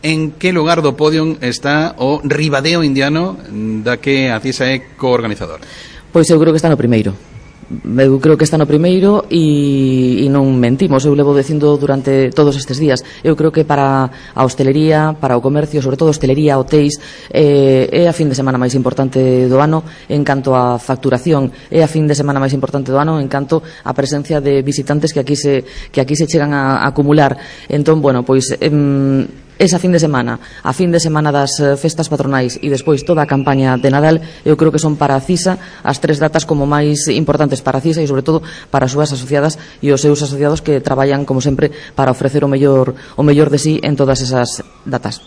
En que lugar do podium está o Ribadeo Indiano da que ACISA é coorganizador? Pois eu creo que está no primeiro. Eu creo que está no primeiro e, e non mentimos, eu levo dicindo durante todos estes días. Eu creo que para a hostelería, para o comercio, sobre todo hostelería, hotéis, eh, é a fin de semana máis importante do ano en canto a facturación, é a fin de semana máis importante do ano en canto a presencia de visitantes que aquí se, que aquí se chegan a, a acumular. Entón, bueno, pois em, esa fin de semana, a fin de semana das festas patronais e despois toda a campaña de Nadal, eu creo que son para a CISA as tres datas como máis importantes para a CISA e sobre todo para as súas asociadas e os seus asociados que traballan como sempre para ofrecer o mellor o mellor de sí en todas esas datas.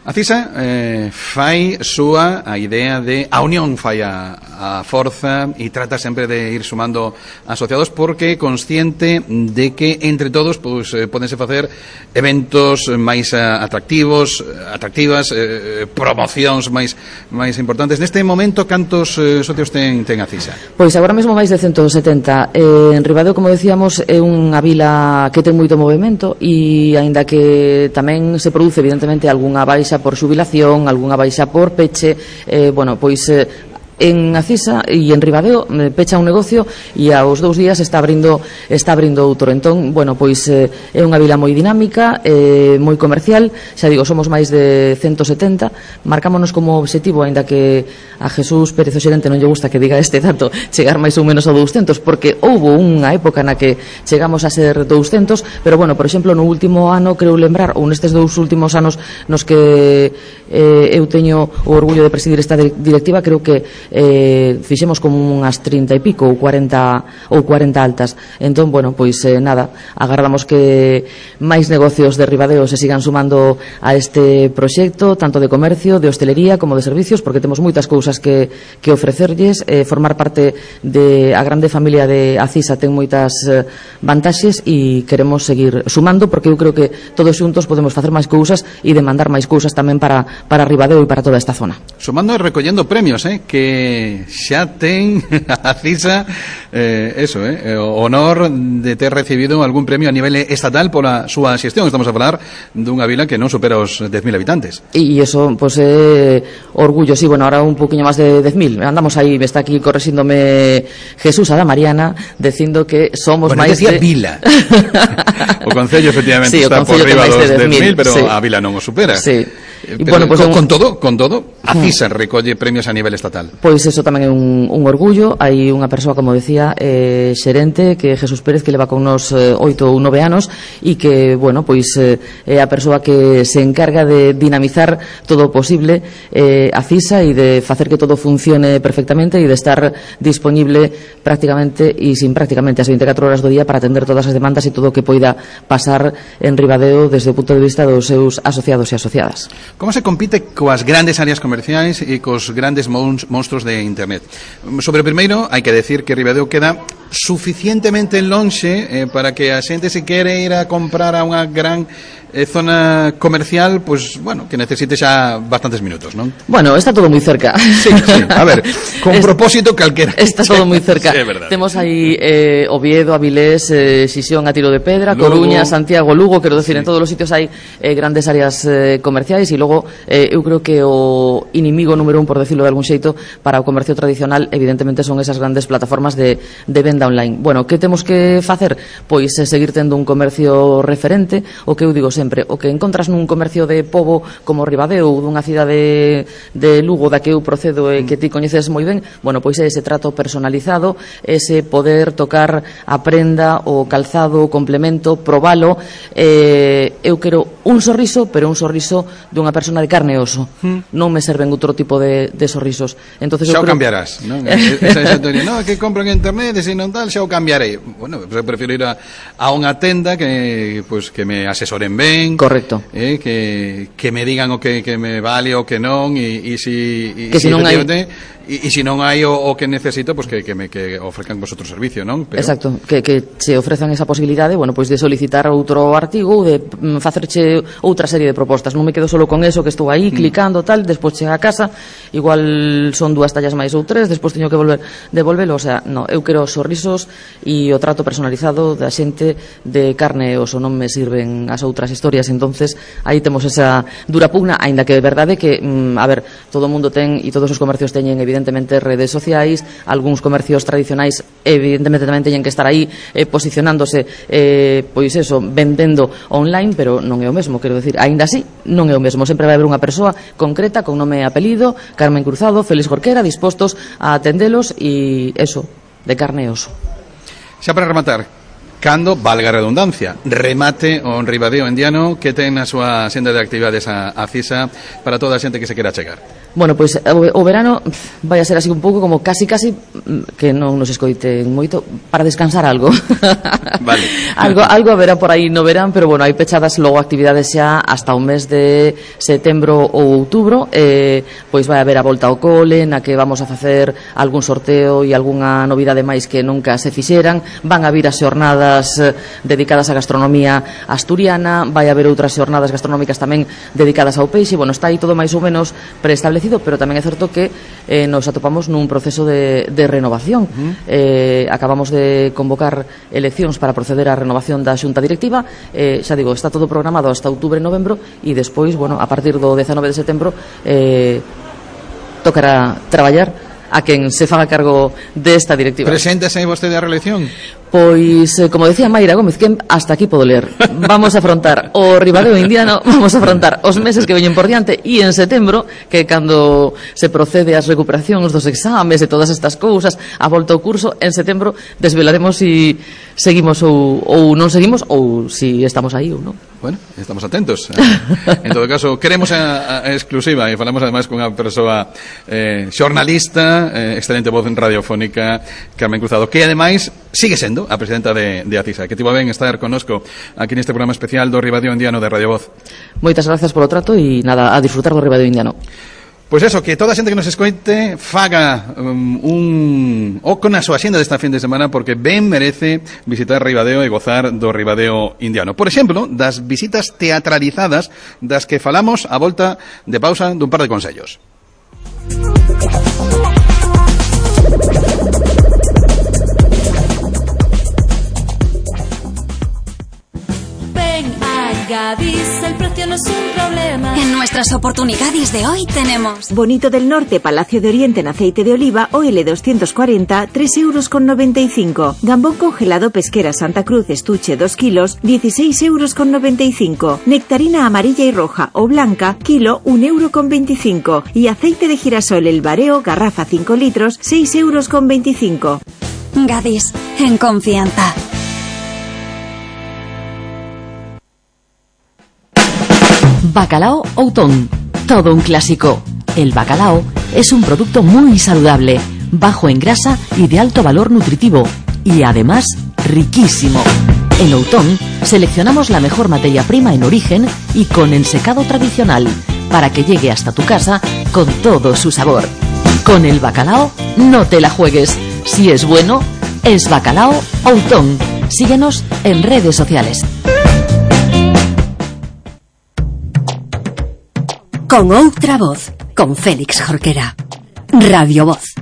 A CISA eh, fai súa a idea de a unión fai a, a forza e trata sempre de ir sumando asociados porque é consciente de que entre todos pues, eh, podense facer eventos máis atractivos, atractivas, eh, promocións máis máis importantes. Neste momento, cantos eh, socios ten, ten a CISA? Pois agora mesmo máis de ciento setenta. Eh, en Ribadeo, como decíamos, é unha vila que ten moito movimento e aínda que tamén se produce evidentemente algunha baixa por xubilación, algunha baixa por peche, eh, bueno, pois eh, en Acisa e en Ribadeo eh, pecha un negocio e aos dous días está abrindo está abrindo outro. Entón, bueno, pois eh, é unha vila moi dinámica, eh, moi comercial, xa digo, somos máis de ciento setenta, marcámonos como obxectivo, aínda que a Jesús Pérez, o xerente, non lle gusta que diga este dato, chegar máis ou menos a douscentos, porque houbo unha época na que chegamos a ser douscentos, pero bueno, por exemplo, no último ano, creo lembrar, ou nestes dous últimos anos nos que eh, eu teño o orgullo de presidir esta directiva, creo que eh, fixemos como unhas trinta e pico ou cuarenta ou cuarenta altas. Entón, bueno, pois eh, nada, agardamos que máis negocios de Ribadeo se sigan sumando a este proxecto, tanto de comercio, de hostelería como de servicios, porque temos moitas cousas que, que ofrecerlles. Eh, formar parte de a grande familia de Acisa ten moitas eh, vantaxes e queremos seguir sumando, porque eu creo que todos xuntos podemos facer máis cousas e demandar máis cousas tamén para, para Ribadeo e para toda esta zona. Sumando e recollendo premios, eh, que xa ten a CISA eh, eso, eh, o honor de ter recibido algún premio a nivel estatal pola súa xestión. Estamos a falar dunha vila que non supera os dez mil habitantes. E iso, pois, pues, é eh, orgullo, sí, bueno, ahora un poquinho máis de dez mil. Andamos aí, me está aquí correxíndome Jesús Ada Mariana, dicindo que somos bueno, máis de... vila. O Concello, efectivamente, sí, está por riba dos dez mil, pero sí. A vila non o supera. Sí. Pero, bueno, pues con, un... con todo, con todo, a CISA recolle premios a nivel estatal. Pois eso tamén é un, un orgullo. Hai unha persoa, como decía, eh, xerente, que é Jesús Pérez, que leva con nos eh, oito ou nove anos e que, bueno, pois eh, é a persoa que se encarga de dinamizar todo o posible eh, a CISA e de facer que todo funcione perfectamente e de estar disponible prácticamente e sin prácticamente as veinticatro horas do día para atender todas as demandas e todo o que poida pasar en Ribadeo desde o punto de vista dos seus asociados e asociadas. Como se compite coas grandes áreas comerciais e cos grandes monstruos de internet? Sobre o primeiro, hai que decir que Ribadeo queda suficientemente lonxe eh, para que a xente, se quere ir a comprar a unha gran eh, zona comercial, pues bueno, que necesite xa bastantes minutos, non? Bueno, está todo moi cerca. Sí, sí, a ver, con es, propósito calquera. Está todo moi cerca. Sí, é verdade. Temos aí eh, Oviedo, Avilés, eh, Xixón, a Tiro de Pedra, Lugo, Coruña, Santiago, Lugo, quero decir, sí. En todos os sitios hai eh, grandes áreas eh, comerciais e logo eh, eu creo que o inimigo número un, por decirlo de algún xeito, para o comercio tradicional, evidentemente, son esas grandes plataformas de, de venda online. Bueno, que temos que facer? Pois eh, seguir tendo un comercio referente, o que eu digo sempre, o que encontras nun comercio de pobo como Ribadeo ou dunha cidade de Lugo da que eu procedo e que ti coñeces moi ben, bueno, pois é ese trato personalizado, ese poder tocar a prenda, o calzado, o complemento, probalo. Eh, eu quero un sorriso, pero un sorriso dunha persona de carne e oso. Mm. Non me serven outro tipo de, de sorrisos. Entonces, xa o creo... cambiarás, non? Esa, esa teoría, no, que compro en internet e se non tal, xa o cambiarei. Bueno, pues prefiro ir a, a unha tenda que pues que me asesoren ben. Correcto. Eh, que, que me digan o que, que me vale o que non e, e si, e, que si, si non hai... E, e se non hai o, o que necesito, pues que, que me que ofrezcan vosotros servicio, non? Pero... Exacto, que, que se ofrezan esa posibilidade, bueno, pois de solicitar outro artigo ou de mm, facerche outra serie de propostas. Non me quedo solo con eso, que estou aí mm. clicando tal, despois chega a casa, igual son dúas tallas máis ou tres, despois teño que volver devolvelo, o sea, no, eu quero sorrisos e o trato personalizado da xente de carne e oso, non me sirven as outras historias. Entonces, aí temos esa dura pugna, aínda que é verdade que, mm, a ver, todo o mundo ten e todos os comercios teñen evidentemente redes sociais, algúns comercios tradicionais evidentemente tamén teñen que estar aí eh, posicionándose eh, pois eso, vendendo online, pero non é o mesmo, quero decir, aínda así non é o mesmo, sempre vai haber unha persoa concreta con nome e apelido, Carmen Cruzado, Félix Jorquera, dispostos a atendelos e eso, de carne e oso. Xa para rematar, cando, valga a redundancia, remate o Ribadeo Endiano que ten a súa senda de actividades a, a CISA para toda a xente que se quera chegar? Bueno, pois o, o verano vai a ser así un pouco como casi casi que non nos escoiten moito para descansar algo. Vale. algo algo haberá por aí no verán, pero bueno, hai pechadas logo actividades xa hasta o mes de setembro ou outubro, eh, pois vai haber a volta ao cole, na que vamos a facer algún sorteo e algunha novidade máis que nunca se fixeran. Van a vir as xornadas dedicadas á gastronomía asturiana, vai haber outras xornadas gastronómicas tamén dedicadas ao peixe. Bueno, está aí todo máis ou menos preestablecido, pero tamén é certo que eh, nos atopamos nun proceso de, de renovación. Uh-huh. eh, acabamos de convocar eleccións para proceder á renovación da xunta directiva. eh, xa digo, está todo programado hasta outubro e novembro, e despois, bueno, a partir do dezanove de setembro eh, tocará traballar a quen se faga cargo desta directiva. Preséntase vostede a reelección? Pois, eh, como decía Mayra Gómez, que hasta aquí podo ler. Vamos a afrontar o Ribadeo indiano, vamos a afrontar os meses que veñen por diante, e en setembro, que cando se procede ás recuperacións dos exames e todas estas cousas, a volta ao curso, en setembro desvelaremos se si seguimos ou, ou non seguimos, ou se si estamos aí ou non. Bueno, estamos atentos. En todo caso, queremos a, a exclusiva, e falamos ademais con unha persoa eh, xornalista, eh, excelente voz en radiofónica, Carmen Cruzado, que ademais sigue sendo a presidenta de, de ACISA, que tivo ben estar connosco aquí neste programa especial do Ribadeo Indiano de Radio Voz. Moitas gracias polo trato e nada, a disfrutar do Ribadeo Indiano. Pois eso, que toda a xente que nos escoite faga um, un oco na súa xenda desta fin de semana, porque ben merece visitar Ribadeo e gozar do Ribadeo Indiano. Por exemplo, das visitas teatralizadas das que falamos a volta de pausa dun par de consellos. Gadis, el precio no es un problema. En nuestras oportunidades de hoy tenemos Bonito del Norte, Palacio de Oriente en aceite de oliva o L doscientos cuarenta, tres euros con noventa y cinco. Gambón congelado Pesquera Santa Cruz, estuche dos kilos, dieciséis euros con noventa y cinco. Nectarina amarilla y roja o blanca, kilo, un euro con veinticinco. Y aceite de girasol El Bareo, garrafa cinco litros, seis euros con veinticinco. Gadis, en confianza. Bacalao Outón, todo un clásico. El bacalao es un producto muy saludable, bajo en grasa y de alto valor nutritivo, y además riquísimo. En Outón seleccionamos la mejor materia prima en origen y con ensecado tradicional, para que llegue hasta tu casa con todo su sabor. Con el bacalao no te la juegues. Si es bueno, es Bacalao Outón. Síguenos en redes sociales. Con outra voz, con Félix Jorquera. Radio Voz.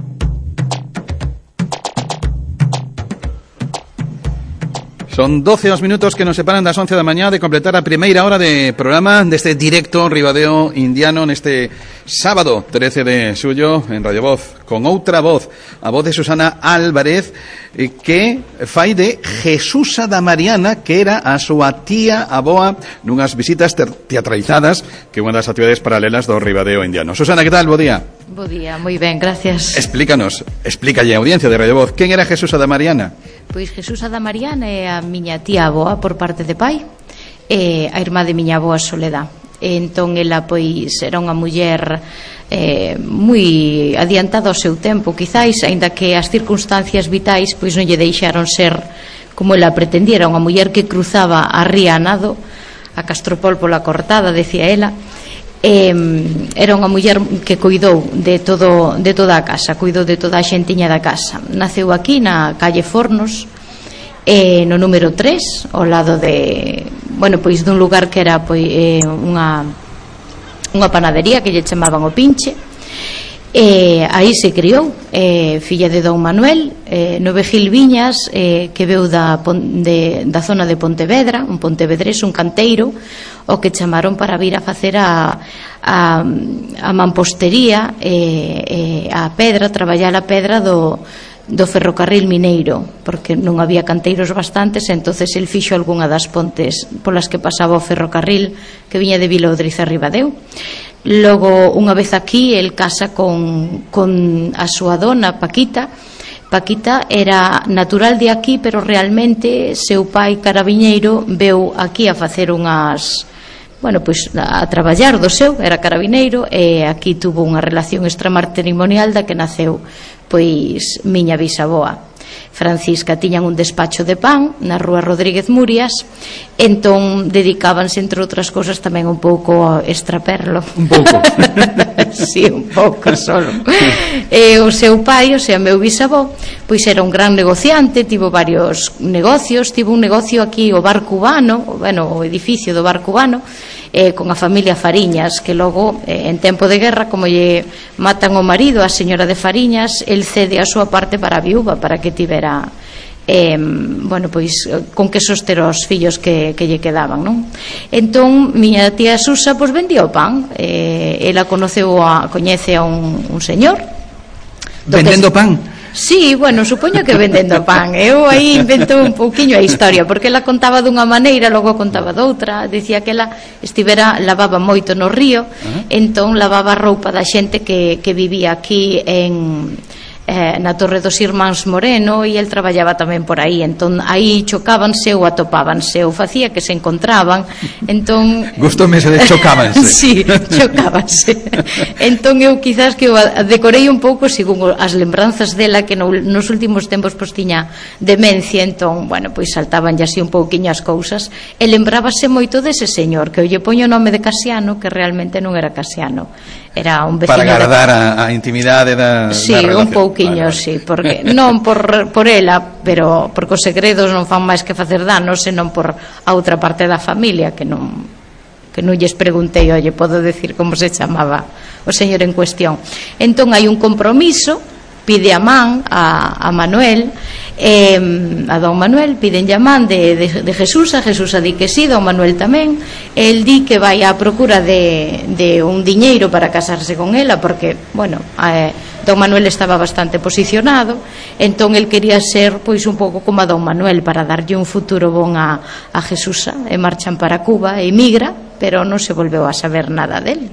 Son doce os minutos que nos separan das once da mañá de completar a primeira hora de programa deste directo Ribadeo Indiano neste sábado trece de xullo en Radio Voz, con outra voz, a voz de Susana Álvarez, que fai de Jesusa da Mariana, que era a súa tía aboa nunhas visitas teatralizadas, que é unha das actividades paralelas do Ribadeo Indiano. Susana, que tal? Bo día. Bo día, moi ben, gracias. Explícanos, explícalle a audiencia de Radio Voz, quen era Jesusa da Mariana? Pois Jesusa da Mariana é a miña tía aboa por parte de pai, e a irmá de miña aboa Soledad. E entón ela pois era unha muller eh, moi adiantada ao seu tempo, quizáis, aínda que as circunstancias vitais pois non lle deixaron ser como ela pretendía. Era unha muller que cruzaba a ría a nado, a Castropol pola cortada, decía ela. Eh, era unha muller que cuidou de todo de toda a casa, cuidou de toda a xentiña da casa. Naceu aquí na calle Fornos, eh, no número tres, ao lado de, bueno, pois dun lugar que era pois eh, unha unha panadería que lle chamaban o Pinche. Eh, aí se criou, eh, filla de Don Manuel, eh, Nove Gil Viñas, eh, que veu da, de, da zona de Pontevedra, un pontevedrés, un canteiro, o que chamaron para vir a facer a, a, a mampostería, eh, eh, a pedra, traballar a pedra do, do ferrocarril mineiro, porque non había canteiros bastantes, entonces el fixo algunha das pontes polas que pasaba o ferrocarril que viña de Vilaudriz a Ribadeo. Logo, unha vez aquí, el casa con, con a súa dona Paquita. Paquita era natural de aquí, pero realmente seu pai carabiñeiro veu aquí a facer unhas bueno, pois a traballar do seu, era carabineiro, e aquí tuvo unha relación extramatrimonial da que naceu pois miña bisaboa Francisca. Tiñan un despacho de pan na rúa Rodríguez Murias, entón dedicábanse, entre outras cousas, tamén un pouco a extraperlo. Un pouco? Sí, un pouco solo. E o seu pai, o sea, meu bisavó, pois era un gran negociante, tivo varios negocios, tivo un negocio aquí, o Bar Cubano, bueno, o edificio do Bar Cubano, eh, con a familia Fariñas, que logo, eh, en tempo de guerra, como lle matan o marido a señora de Fariñas, el cede a súa parte para a viúva, para que tivera eh, bueno, pois con que soster os fillos que, que lle quedaban, non? Entón, miña tía Susa pois vendía o pan, eh, ela conoceu a, coñece a un, un señor vendendo que, pan? Sí, bueno, supoño que vendendo pan. Eu aí inventou un pouquiño a historia, porque ela contaba dunha maneira, logo contaba doutra. Dicía que ela estivera, lavaba moito no río, uh-huh. entón lavaba a roupa da xente que, que vivía aquí en... Eh, na Torre dos Irmáns Moreno, e el traballaba tamén por aí, entón aí chocábanse ou atopábanse ou facía que se encontraban, entón gustoume ese de chocábanse. Sí, chocábanse. Entón eu quizás que eu decorei un pouco según as lembranzas dela, que no, nos últimos tempos pois tiña demencia, entón, bueno, pois saltaban ya así un pouquiño as cousas, e lembrábase moito dese señor, que eu lle poño o nome de Casiano, que realmente non era Casiano, era un veciño. Para agardar de... a, a intimidade da, sí, da relación. Un pouquiño, vale, vale. Sí, porque non por, por ela, pero porque os segredos non fan máis que facer danos, senón por a outra parte da familia, que non que non lles preguntei, oye, podo decir como se chamaba o señor en cuestión. Entón hai un compromiso, pide a man a, a Manuel, eh, a don Manuel, piden a man de, de, de Jesús, a Jesús a di que sí, don Manuel tamén, el di que vai á procura de, de un diñeiro para casarse con ela, porque, bueno, eh, don Manuel estaba bastante posicionado, entón el quería ser pois un pouco como a don Manuel, para darlle un futuro bon a, a Jesús, e marchan para Cuba, e emigra, pero non se volveu a saber nada del,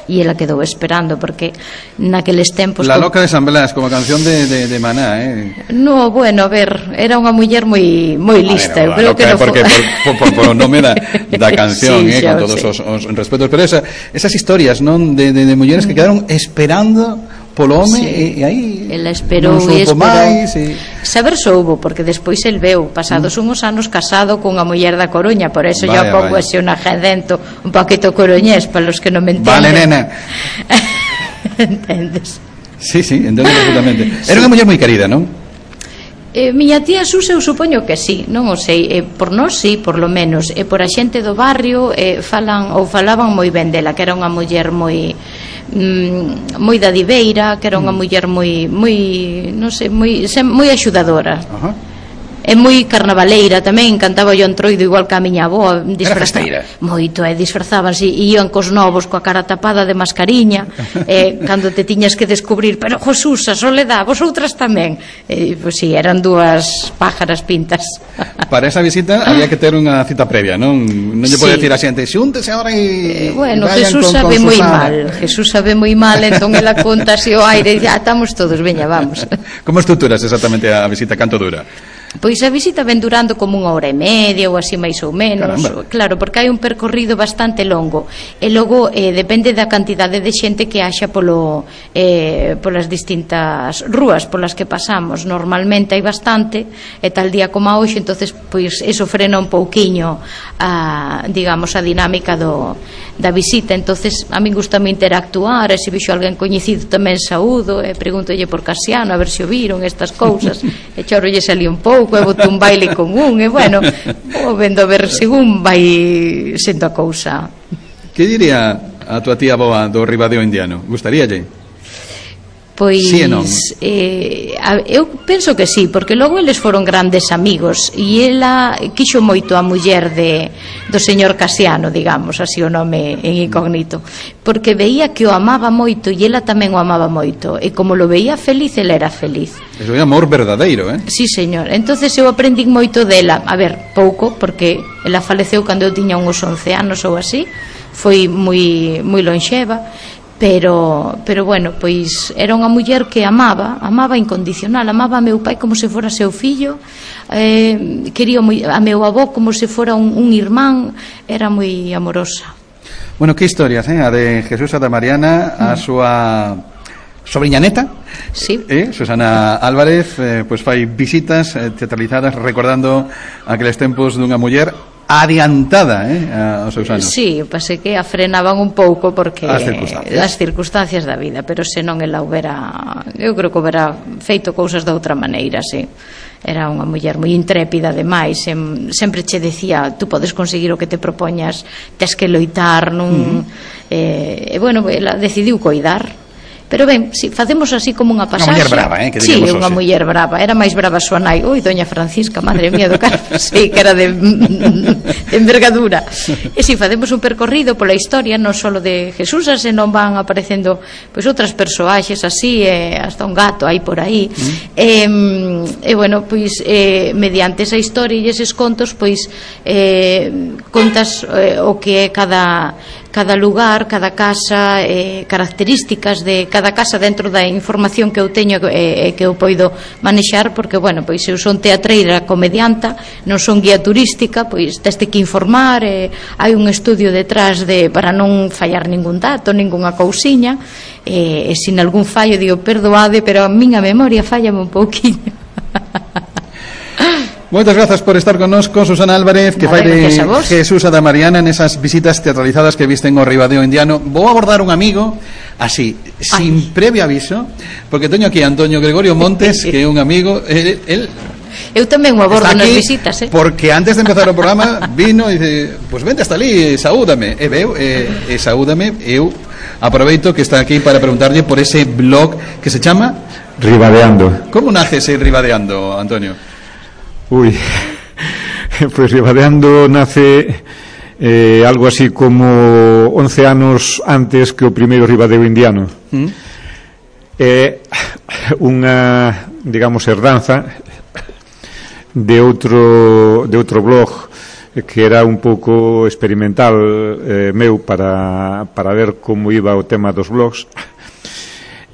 e ela quedou esperando, porque naqueles tempos La loca de San Blas, como canción de, de, de Maná, eh? No, bueno, a ver, era unha muller moi moi lista, eu creo que no porque por, por, por, por o nome da, da canción, sí, eh, xa, con todos sí. os, os respetos, pero esa, esas historias, non, de, de, de mulleres que quedaron esperando polo home, sí. e, e aí ela esperou non e esperou máis, e... saber soubo, porque despois el veu pasados mm. unhos anos casado con a muller da Coruña, por eso vaya, ya pouco así un agedento un poquito coruñés, para los que non me entenden. Vale, nena. Entendes? Sí, sí, entendo perfectamente. Era unha muller moi querida, non? Eh, miña tía Susa, eu supoño que sí, non o sei, eh, por nós sí, por lo menos, e eh, por a xente do barrio eh, falan ou falaban moi ben dela, que era unha muller moi mm, moi dadiveira, que era unha muller moi moi, non sei, moi moi axudadora. Ajá. É moi carnavaleira tamén, cantaba o Antroido igual que a miña avó, disfrazada moito, e disfrazábanse, e ian cos novos coa cara tapada de mascariña, e cando te tiñas que descubrir, pero Jesús, a Soledad, vosotras tamén, e, pois si, sí, eran dúas pájaras pintas. Para esa visita había que ter unha cita previa, non? Non lle pode sí. decir a xente, xúntese ahora e... Eh, bueno, Jesús con, sabe con moi mal, Jesús sabe moi mal, entón ela conta así o aire, e ya estamos todos, veña, vamos. Como estruturas exactamente a visita, canto dura? Pois a visita ven durando como unha hora e media ou así máis ou menos. Caramba. Claro, porque hai un percorrido bastante longo, e logo eh, depende da cantidade de xente que haxa polo, eh, polas distintas rúas polas que pasamos. Normalmente hai bastante, e tal día como a hoxe, entonces pois eso frena un pouquiño a, digamos, a dinámica do, da visita. Entonces a min gustame interactuar, e se vixo alguén coñecido tamén saúdo, e pregúntolle por Casiano a ver se o viron, estas cousas, e chorolle salí un pouco, e boto un baile con un, e bueno, vou vendo a ver según vai sendo a cousa. Que diría a tua tía boa do Ribadeo indiano? Gustaríalle? Pois sí, non? eh, a, eu penso que sí, porque logo eles foron grandes amigos, e ela quixo moito a muller de, do señor Casiano, digamos, así o nome en incógnito, porque veía que o amaba moito, e ela tamén o amaba moito, e como lo veía feliz, ela era feliz. Eso é amor verdadeiro, eh? Sí, señor. Entonces eu aprendí moito dela, a ver, pouco, porque ela faleceu cando eu tiña uns once anos ou así, foi moi moi lonxeva, pero pero bueno, pois era unha muller que amaba, amaba incondicional, amaba a meu pai como se fora seu fillo, eh, quería a meu avó como se fora un, un irmán, era moi amorosa. Bueno, que historias, eh? A de Jesús Santa Mariana, a súa sobrinha neta, sí. eh? Susana Álvarez, eh, pois fai visitas eh, teatralizadas recordando aqueles tempos dunha muller adiantada, eh, aos seus anos. Sí, pasé que a frenaban un pouco porque as circunstancias. as circunstancias da vida, pero senón ela houbera, eu creo que houbera feito cousas de outra maneira, sí. Era unha muller moi intrépida ademais, sem, sempre che decía, tú podes conseguir o que te propoñas, tes que loitar, non? Uh-huh. eh, e bueno, ela decidiu coidar. Pero ben, si facemos así como unha pasaxe. Unha muller brava, eh, que sí, digamos unha muller brava, era máis brava súa nai. Ui, doña Francisca, madre mía do Carmen, sí, que era de, de envergadura. E si facemos un percorrido pola historia, non só de Jesús, senón van aparecendo pois outras persoaxes así, eh, hasta un gato aí por aí. Mm. E, e bueno, pois eh, mediante esa historia e eses contos, pois eh, contas eh, o que é cada cada lugar, cada casa, eh, características de cada casa dentro da información que eu teño e eh, que eu poido manexar, porque, bueno, pois eu son teatreira, comedianta, non son guía turística, pois teste que informar, eh, hai un estudio detrás de para non fallar ningún dato, ningunha cousiña, eh, e sin algún fallo digo, perdoade, pero a miña memoria fallame un pouquiño. Moitas grazas por estar connosco, Susana Álvarez, que fai de Jesús Santa Mariana nesas visitas teatralizadas que visten o Ribadeo indiano. Vou abordar un amigo así, sin Ay. previo aviso, porque teño aquí a Antonio Gregorio Montes, que é un amigo, el, el eu tamén o abordo nas visitas, eh? Porque antes de empezar o programa vino e dice, pois pues vente hasta ali, saúdame. E veu, e, e saúdame. Eu aproveito que está aquí para preguntarlle por ese blog que se chama Ribadeando. Como nace ese Ribadeando, Antonio? Uy, pues Ribadeando nace eh, algo así como once anos antes que o primeiro Ribadeo indiano. ¿Mm? É eh, unha, digamos, herdanza de outro de outro blog que era un pouco experimental eh, meu para, para ver como iba o tema dos blogs.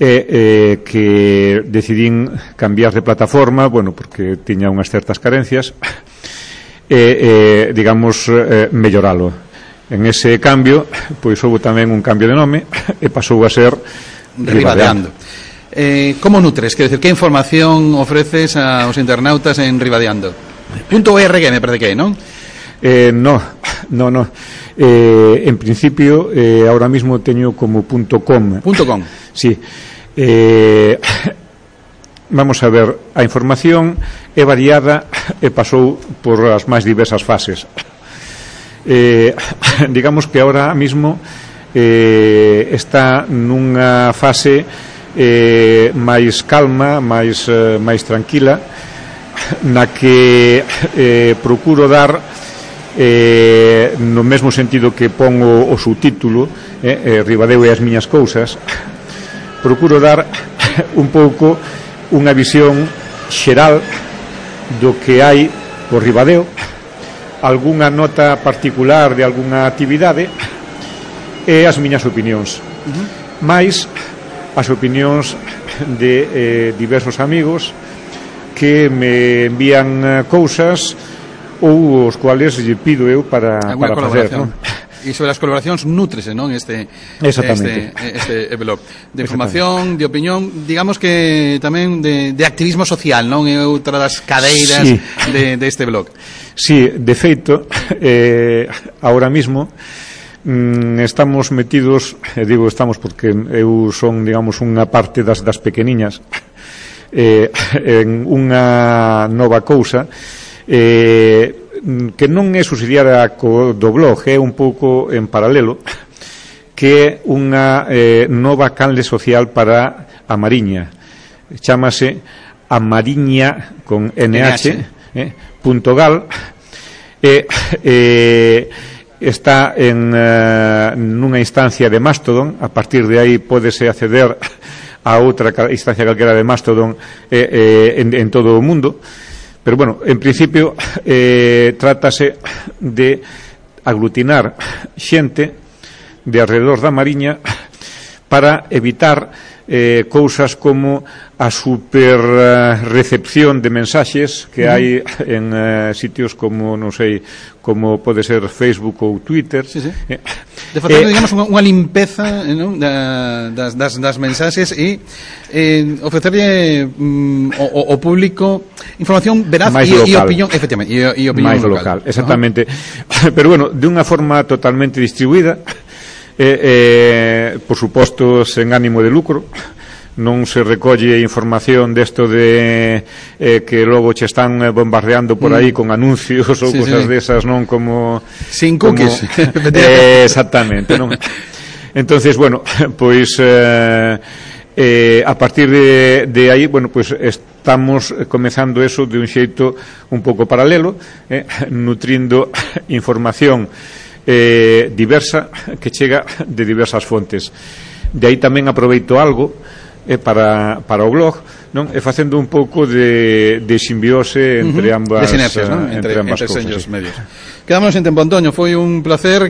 E eh, que decidín cambiar de plataforma, bueno, porque tiña unhas certas carencias, e, eh, digamos, eh, melloralo. En ese cambio, pois houve tamén un cambio de nome, e pasou a ser Ribadeando. Eh, como nutres? Quer decir, que información ofreces aos internautas en Ribadeando? Punto .org me parece que é, non? Eh, no, no, no. Eh, en principio, eh, ahora mismo teño como punto .com. Punto .com. Sí. Eh, vamos a ver, a información é variada e pasou por as máis diversas fases. Eh, digamos que ahora mismo eh, está nunha fase eh, máis calma, máis, eh, máis tranquila, na que eh, procuro dar eh, no mesmo sentido que pongo o subtítulo, eh, eh, Ribadeo e as miñas cousas, procuro dar un pouco unha visión xeral do que hai por Ribadeo, algunha nota particular de algunha actividade e as miñas opinións. Uh-huh. Mais as opinións de eh, diversos amigos que me envían cousas ou os cuales lle pido eu para, para facer, non? E sobre as colaboracións nútrese, non? Este, Exactamente. este, este blog de información, de opinión, digamos que tamén de, de activismo social, non? É outra das cadeiras sí. de, de este blog. Sí, de feito, eh, ahora mismo mm, estamos metidos, eh, digo estamos porque eu son, digamos, unha parte das, das pequeniñas, eh, en unha nova cousa eh, que non é subsidiaria co do blog, é un pouco en paralelo, que é unha eh, nova canle social para a Mariña. Chámase a Mariña con N H, eh, punto gal, e eh, está en uh, nunha instancia de Mastodon. A partir de aí pódese acceder a outra instancia calquera de Mastodon eh, eh, en, en todo o mundo. Pero bueno, en principio eh, trátase de aglutinar xente de alrededor da Mariña para evitar eh, cousas como a super uh, recepción de mensaxes que Uh-huh. hai en uh, sitios como, non sei, como pode ser Facebook ou Twitter. Sí, sí. Eh, De facer, eh, digamos, unha, unha limpeza, eh, non? da, das, das, das mensaxes e eh, ofrecerlle mm, o, o público información veraz máis e, e local. opinión, efectivamente, e, e opinión máis local. local, exactamente. Uh-huh. Pero bueno, de unha forma totalmente distribuída, eh, eh, por suposto sen ánimo de lucro. Non se recolle información desto de eh, que logo che están bombardeando por aí mm. con anuncios ou sí, cosas sí. desas, non como sin cookies. Como, eh, exactamente, non? Entonces, bueno, pois eh, eh, a partir de, de aí, bueno, pois estamos comezando eso de un xeito un pouco paralelo, eh, nutrindo información eh, diversa que chega de diversas fontes. De aí tamén aproveito algo eh, para, para o blog, non? E facendo un pouco de, de simbiose entre uh-huh. ambas, de sinerxias, non? entre, entre ambas entre cousas, sí. medios. Quedamos en tempo, Antonio, foi un placer